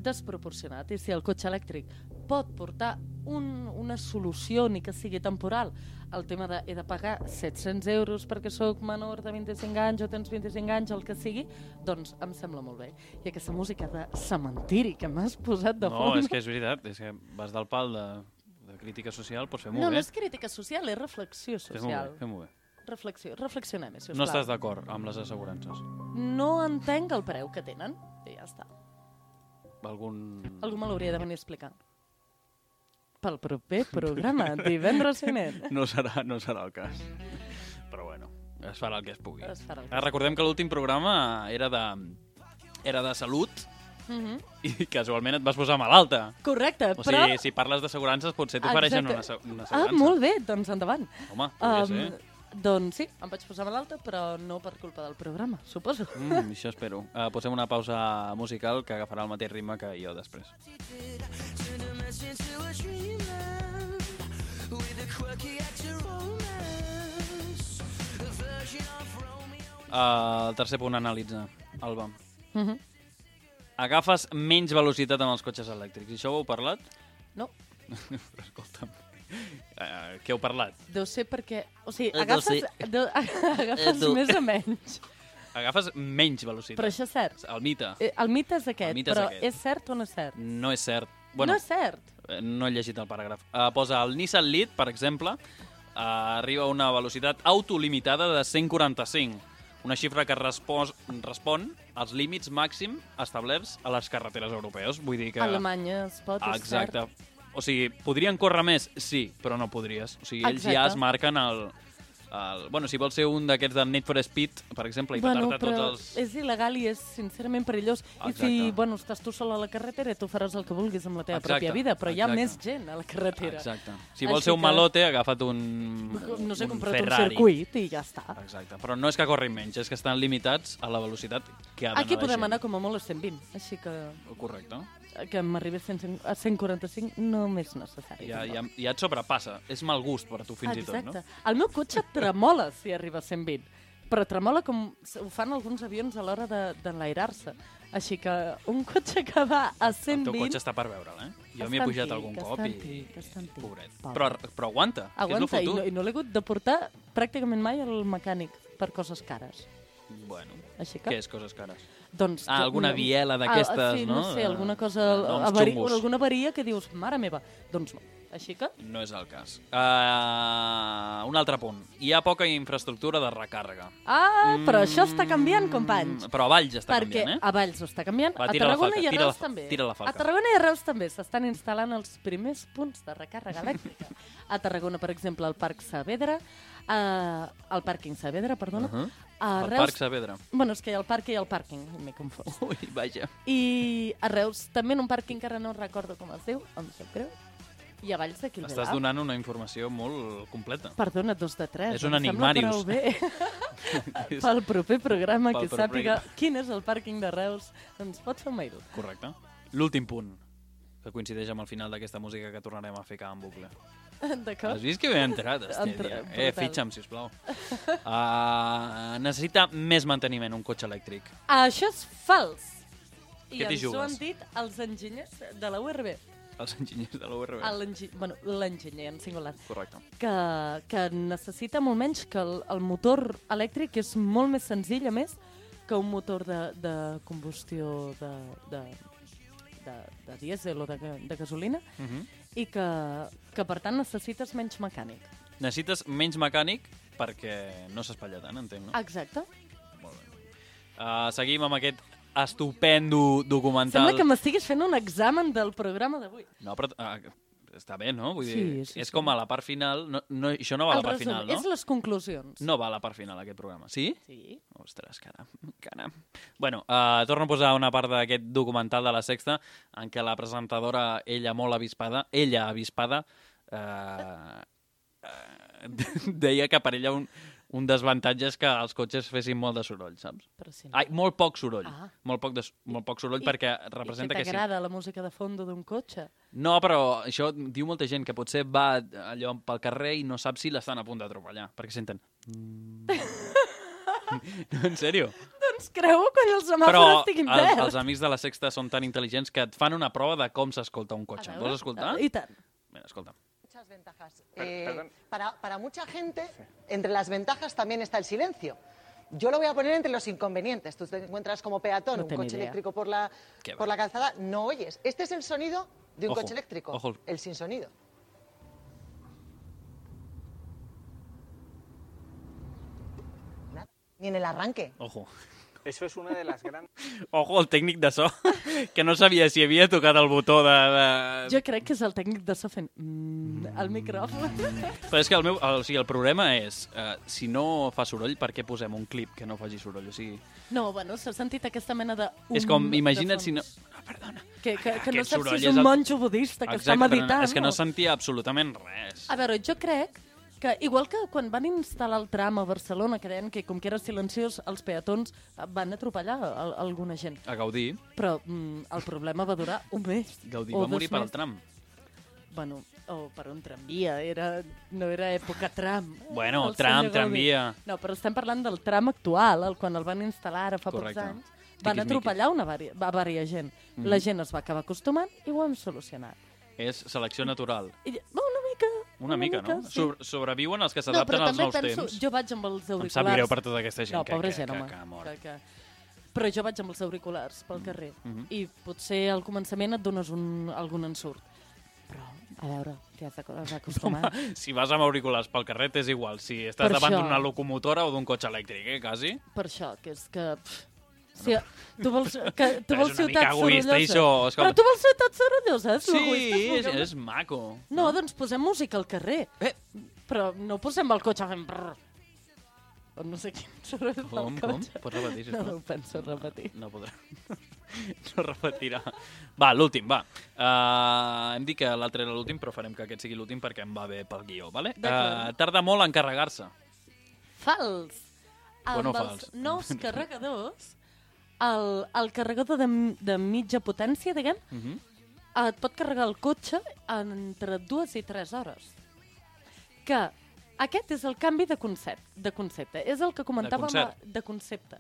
I si el cotxe elèctric pot portar una solució, ni que sigui temporal, el tema de he de pagar 700 euros perquè sóc menor de 25 anys o tens 25 anys, el que sigui, doncs em sembla molt bé. I aquesta música de cementiri que m'has posat de fons... No, és que és veritat, és que vas del pal de crítica social, pots fer molt bé. No és crítica social, és reflexió social. Fem-ho bé. Reflexionem, sisplau. No estàs d'acord amb les assegurances? No entenc el preu que tenen, i ja està. Algú me l'hauria de venir a explicar. Pel proper programa, divendres vinent. No serà el cas. Però bueno, es farà el que es pugui. Recordem que l'últim programa era de salut, i casualment et vas posar malalta. Correcte, però... O sigui, si parles d'assegurances, potser t'ofereixen una assegurança. Molt bé, doncs endavant. Home, podria ser. Doncs sí, em vaig posar malalta, però no per culpa del programa, suposo. Això espero. Posem una pausa musical que agafarà el mateix ritme que jo després. El tercer punt a analitzar, Alba. Agafes menys velocitat amb els cotxes elèctrics. I això ho heu parlat? No. Escolta'm. Què heu parlat? Deu ser perquè... O sigui, agafes més o menys. Agafes menys velocitat. Però això és cert. El mite. El mite és aquest, però és cert o no és cert? No és cert. No és cert? No he llegit el paràgraf. Posa el Nissan Leaf, per exemple, arriba a una velocitat autolimitada de 145, una xifra que respon als límits màxim establerts a les carreteres europees. Vull dir que... A Alemanya es pot, és cert. Exacte. O sigui, podrien córrer més? Sí, però no podries. O sigui, ells ja es marquen Bueno, si vols ser un d'aquests de Need for Speed, per exemple, i petar-te tots els... és il·legal i és sincerament perillós. I si, estàs tu sol a la carretera, tu faràs el que vulguis amb la teva pròpia vida, però hi ha més gent a la carretera. Exacte. Si vols ser un malote, agafa't un no sé, compra't un circuit i ja està. Exacte. Però no és que corrin menys, és que estan limitats a la velocitat que ha d'anar la gent. Aquí podem anar com a molt a 120, així que... Correcte. Que m'arribés a 145 no m'és necessari. Ja et sobrepassa. És mal gust per a tu fins i tot, no? Exacte. El meu cotxe tremola si arriba a 120, però tremola com ho fan alguns avions a l'hora d'enlairar-se. Així que un cotxe que va a 120... El teu cotxe està per veure'l, Jo m'hi he pujat algun cop i... Pobret. Però aguanta, que és el futur. I no l'he hagut de portar pràcticament mai al mecànic per coses cares. Bueno, Així que... què és coses cares? Doncs, alguna biela d'aquestes, sí, no? no sé, alguna cosa... Noms xungos. Alguna avaria que dius, mare meva. Doncs no. Així que... No és el cas. Un altre punt. Hi ha poca infraestructura de recàrrega. Però això està canviant, companys. Però a Valls està canviant, Perquè a Valls ho està canviant, Va, a tira la Tarragona falca, i a tira Reus la- també. tira la falca. A Tarragona i a Reus també s'estan instal·lant els primers punts de recàrrega elèctrica. A Tarragona, per exemple, al Parc Saavedra, al pàrquing Saavedra, perdona. A El Reus... Parc Saavedra. Bueno, és que hi ha el parc i el pàrquing, m'he confós. Ui, vaja. I a Reus també en un pàrquing que ara no recordo com es diu, em sap greu. I a Valls d'aquí al Estàs donant una informació molt completa. Perdona, 2 de 3. És un enigmàrius. Em sembla prou bé. Pel proper programa, Pel que proper sàpiga quin és el pàrquing de Reus, ens pot fer un mail. Correcte. L'últim punt, que coincideix amb el final d'aquesta música que tornarem a ficar en bucle. D'acord? Has vist que ben entrat, Estèlia? Brutal. Fitxa'm, sisplau. Necessita més manteniment, un cotxe elèctric. Això és fals. I Què t'hi ens ho han jugues? dit els enginyers de la URB. Els enginyers de la URB. Bueno, l'enginyer en singular. Correcte. Que necessita molt menys, que el motor elèctric és molt més senzill, a més, que un motor de combustió de dièsel o de gasolina, i que per tant necessites menys mecànic. Necessites menys mecànic perquè no s'espatlla tant, entenc, no? Exacte. Molt bé. Seguim amb aquest estupendo documental. Sembla que m'estiguis fent un examen del programa d'avui. No, però està bé, no? Vull Sí, dir, sí, és sí. com a la part final. Això no va a la part final, no? És les conclusions. No va a la part final, aquest programa. Sí? Sí. Ostres, caram. Bueno, torno a posar una part d'aquest documental de La Sexta en què la presentadora, ella avispada, deia que per ella un desavantatge és que els cotxes fessin molt de soroll, saps? Però si no. Ai, molt poc soroll. Ah. Molt poc soroll perquè representa I que que sí. t'agrada la música de fondo d'un cotxe? No, però això diu molta gent, que potser va allò pel carrer i no sap si l'estan a punt d'atropellar, perquè senten... No, en sèrio. Doncs creu quan els semàfors Però estiguin verds. els amics de La Sexta són tan intel·ligents que et fan una prova de com s'escolta un cotxe. A veure, Vols escoltar? I tant. Mira, escolta. Muchas ventajas. Para mucha gente, entre las ventajas también está el silencio. Yo lo voy a poner entre los inconvenientes. Tú te encuentras como peatón No un tengo coche idea. eléctrico por la calzada, no oyes. Este es el sonido de un Ojo, coche eléctrico, ojo. el sin sonido. Nada, ni en el arranque. Ojo. Eso es una de las grandes... Ojo, el tècnic de so, que no sabia si havia tocat el botó de... Jo crec que és el tècnic de so fent al micròfon. Però és que el problema és, si no fa soroll, per què posem un clip que no faci soroll? O sigui, No, bueno, s'ha sentit aquesta mena de... és com, imagina't si no... Perdona. Que no Aquest saps soroll si és és un el- monjo budista que està Exacte, meditant. és que no sentia absolutament res. A veure, jo crec que, igual que quan van instal·lar el tram a Barcelona, que deien que com que era silenciós, els peatons van atropellar alguna gent. A Gaudí, Però el problema va durar un mes. Gaudí o va morir 2 per al mesos. tram. Bueno, o per un tramvia, no era època tram. Bueno, El tram, senyor Gaudí. tramvia. No, però estem parlant del tram actual, quan el van instal·lar ara fa Correcte. pocs anys. Van Tiquismiquis. atropellar una vària gent. La gent es va acabar acostumant i ho hem solucionat. És selecció natural. I, una mica. Una mica, no? sí. Sobreviuen els que No, s'adapten però als també nous penso, temps. jo vaig amb els auriculars. Em sap greu per tota aquesta gent No, pobra que gent, home. ha mort. Però jo vaig amb els auriculars pel carrer i potser al començament et dones algun ensurt. Però, a veure, t'hi has d'acostumar. Si vas amb auriculars pel carrer és igual, si estàs Per davant això. d'una locomotora o d'un cotxe elèctric, quasi. Per això, que és que... Si tu vols Però és una mica ciutat egoista, això, sorollosa. escolta. Però tu vols ciutat sorollosa, és Sí, l'egoista. és maco. No, doncs posem música al carrer. Però no posem el cotxe fent brrr. O no sé quin soroll fa Com? el cotxe. Pots repetir, sisplau? No ho penso repetir. No podrà. No repetirà. Va, l'últim, va. Hem dit que l'altre era l'últim, però farem que aquest sigui l'últim perquè em va bé pel guió, vale? D'acord. Tarda molt en carregar-se. Fals. Bueno, Amb fals. els nous carregadors, el carregador de mitja potència, diguem, et pot carregar el cotxe entre 2 i 3 hores. Que aquest és el canvi de concepte. És el que comentàvem... De concepte.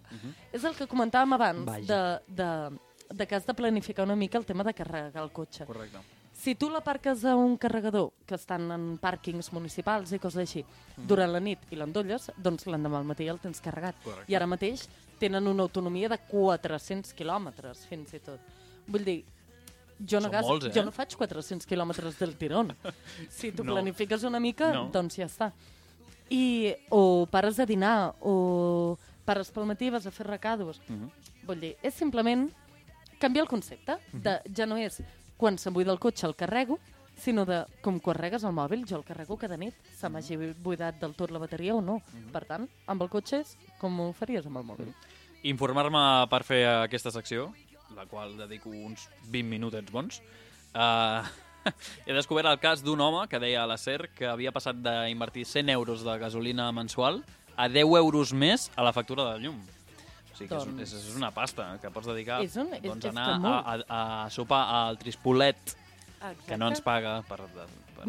És el que comentàvem abans de que has de planificar una mica el tema de carregar el cotxe. Correcte. Si tu l'aparques a un carregador, que estan en pàrquings municipals i coses així, durant la nit i l'endolles, doncs l'endemà al matí el tens carregat. Correcte. I ara mateix tenen una autonomia de 400 quilòmetres, fins i tot. Vull dir, jo no, Són molts, jo no faig 400 quilòmetres del tirón. Si tu planifiques una mica, doncs ja està. O pares a dinar, o pares pel matí vas a fer recados. Vull dir, és simplement canviar el concepte. Ja no és quan se'm buida el cotxe el carrego, sinó de com quan regues el mòbil, jo el carrego cada nit, se m'hagi buidat del tot la bateria o no. Per tant, amb el cotxe és com ho faries amb el mòbil. Informar-me per fer aquesta secció, la qual dedico uns 20 minutets bons. He descobert el cas d'un home que deia a la SER que havia passat d'invertir 100 euros de gasolina mensual a 10 euros més a la factura de llum. O sigui que és una pasta que pots dedicar a anar a sopar al Trispolet, que no ens paga per...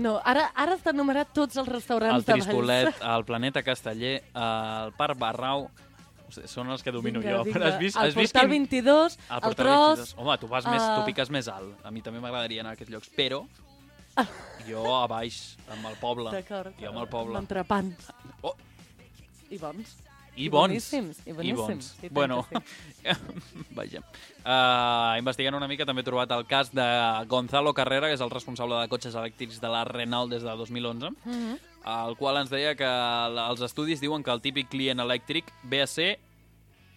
No, ara has d'enumerar tots els restaurants de Valls. El Trispolet, el Planeta Casteller, el Parc Barrau, són els que domino jo. El Portal 22, el Tros... Home, tu piques més alt. A mi també m'agradaria anar a aquests llocs, però jo a baix, amb el poble. D'acord. Jo amb el poble. Amb entrepans. I bons. I bons. I boníssims. Bueno, vaja. Investigant una mica també he trobat el cas de Gonzalo Carrera, que és el responsable de cotxes elèctrics de la Renault des de 2011, el qual ens deia que els estudis diuen que el típic client elèctric ve a ser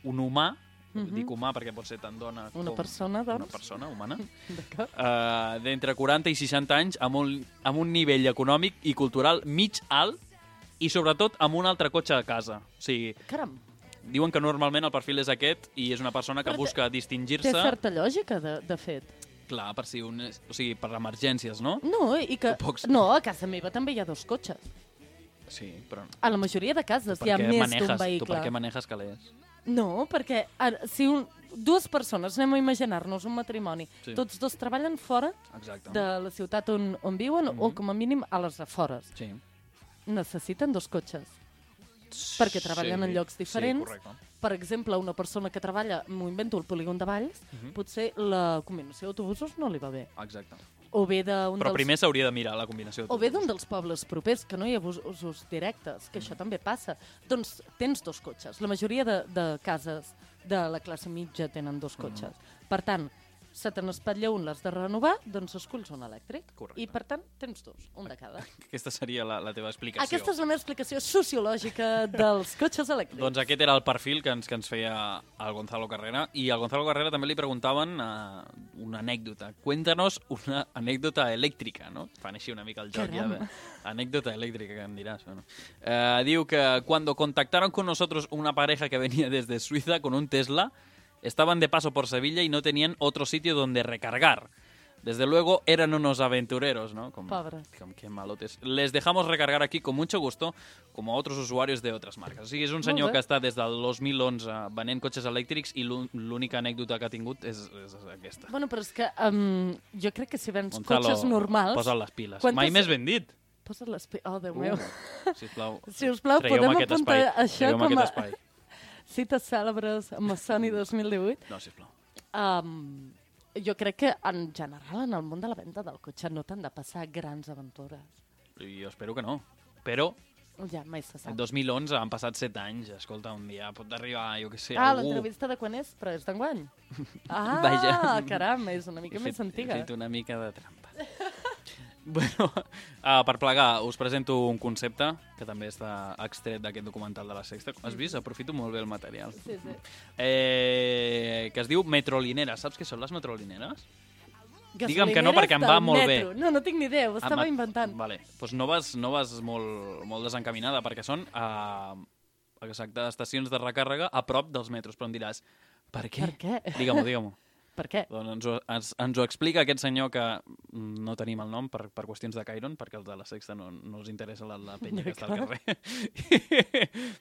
un humà, dic humà perquè pot ser tant dona com... Una persona, doncs. Una persona humana. D'acord. D'entre 40 i 60 anys, amb un nivell econòmic i cultural mig alt, i sobretot amb un altre cotxe a casa. O sigui, caram. Diuen que normalment el perfil és aquest i és una persona que busca distingir-se... Té certa lògica, de fet. Clar, per si per emergències, no? No, i que... No, a casa meva també hi ha 2 cotxes. Sí, però... A la majoria de cases hi ha més d'un vehicle. Tu per què manejes calés? No, perquè si dues persones, anem a imaginar-nos un matrimoni, tots dos treballen fora de la ciutat on viuen o com a mínim a les afores. Sí. Necessiten 2 cotxes perquè treballen en llocs diferents. Per exemple, una persona que treballa, m'ho invento, al polígon de Valls, potser la combinació d'autobusos no li va bé. Exacte. Però primer s'hauria de mirar la combinació d'autobusos. O ve d'un dels pobles propers, que no hi ha busos directes, que això també passa. Doncs tens 2 cotxes. La majoria de cases de la classe mitja tenen 2 cotxes. Per tant, se te n'espatlla un, l'has de renovar, doncs esculls un elèctric. Correcte. I, per tant, tens 2, un de cada. Aquesta seria la teva explicació. Aquesta és la meva explicació sociològica dels cotxes elèctrics. Doncs aquest era el perfil que ens feia el Gonzalo Carrera. I al Gonzalo Carrera també li preguntaven una anècdota. Cuéntanos una anècdota elèctrica, no? Fan així una mica el joc. Caramba. Ja, anècdota elèctrica, que em diràs. Bueno. Diu que cuando contactaron con nosotros una pareja que venía desde Suiza con un Tesla, estaban de paso por Sevilla y no tenían otro sitio donde recargar. Desde luego eran unos aventureros, ¿no? Pobres. Qué malotes. Les dejamos recargar aquí con mucho gusto, como a otros usuarios de otras marcas. O sigui, és un senyor que està des del 2011 venent cotxes elèctrics i l'única anècdota que ha tingut és aquesta. Bueno, però és que jo crec que si vens cotxes normals... Posa't les piles. Mai més ben dit. Posa't les piles. Oh, Déu meu. Sisplau, podem apuntar això com a... espai. Cites cèlebres amb Sony 2018. No, sisplau. Jo crec que, en general, en el món de la venda del cotxe no t'han de passar grans aventures. Jo espero que no. Però ja, mai se sap. En 2011 han passat 7 anys. Escolta, un dia pot arribar, jo què sé, algú... l'entrevista de quan és? Però és d'enguany. Caram, és una mica més antiga. He fet una mica de trampa. Bueno, per plegar, us presento un concepte que també està extret d'aquest documental de La Sexta. Has vist? Aprofito molt bé el material. Sí. Que es diu metrolineres. Saps què són les metrolineres? Digue'm que no, perquè em va molt bé. No tinc ni idea, ho estava inventant. Vale, doncs no vas molt desencaminada, perquè són estacions de recàrrega a prop dels metros. Però em diràs, per què? Per què? Digue-m'ho. Per què? Doncs ens ho explica aquest senyor que no tenim el nom per qüestions de Cairon, perquè els de La Sexta no us interessa la penya que està al carrer.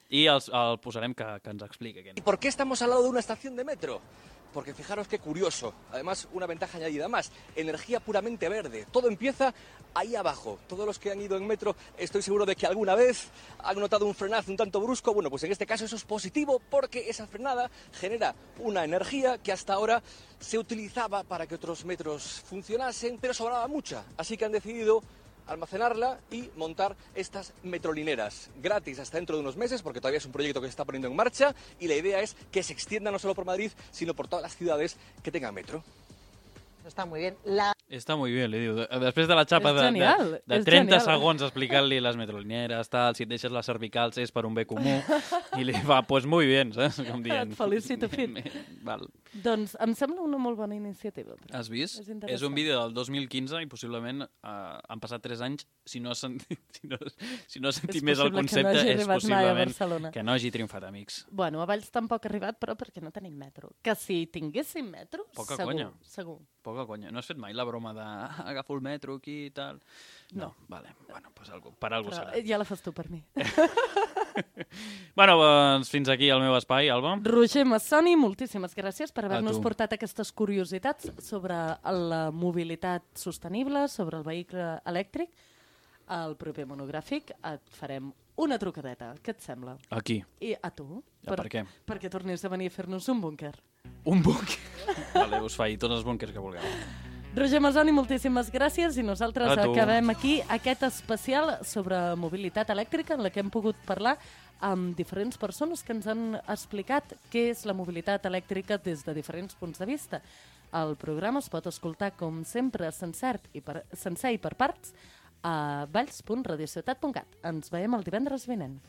I aquí el posarem que ens expliqui. ¿Y por qué estamos al lado de una estación de metro? Porque fijaros qué curioso, además una ventaja añadida más, energía puramente verde, todo empieza ahí abajo. Todos los que han ido en metro estoy seguro de que alguna vez han notado un frenazo un tanto brusco, bueno, pues en este caso eso es positivo porque esa frenada genera una energía que hasta ahora se utilizaba para que otros metros funcionasen, pero sobraba mucha, así que han decidido almacenarla y montar estas metrolineras gratis hasta dentro de unos meses, porque todavía es un proyecto que se está poniendo en marcha y la idea es que se extienda no solo por Madrid, sino por todas las ciudades que tengan metro. Está muy bien. Està molt bé, li diu. Després de la xapa de 30 segons explicant-li les metrolineres, tal, si et deixes les cervicals és per un bé comú, i li va, pues muy bien, saps? Com dient. Et felicito, Fit. Val. Doncs em sembla una molt bona iniciativa. Has vist? És un vídeo del 2015 i possiblement han passat 3 anys. Si no has sentit més el concepte, és possiblement que no hagi triomfat, amics. Bueno, a Valls tampoc ha arribat, però perquè no tenim metro. Que si tinguéssim metro, segur. Poca conya. No has fet mai la broma d'agafo el metro aquí i tal? No. Vale. Bueno, pues per algú serà. Ja la fas tu per mi. Bueno, doncs fins aquí el meu espai, Alba. Roger Massoni, moltíssimes gràcies per haver-nos portat aquestes curiositats sobre la mobilitat sostenible, sobre el vehicle elèctric. Al proper monogràfic et farem una trucadeta. Què et sembla? A qui? I a tu. Per què? Perquè tornis a venir a fer-nos un búnquer. Un búnquer? Vale, us faig tots els búnquers que vulgueu. Roger Massoni, moltíssimes gràcies i nosaltres acabem aquí aquest especial sobre mobilitat elèctrica en la que hem pogut parlar amb diferents persones que ens han explicat què és la mobilitat elèctrica des de diferents punts de vista. El programa es pot escoltar, com sempre, sencer i per parts a valls.radiociutat.cat. Ens veiem el divendres vinent.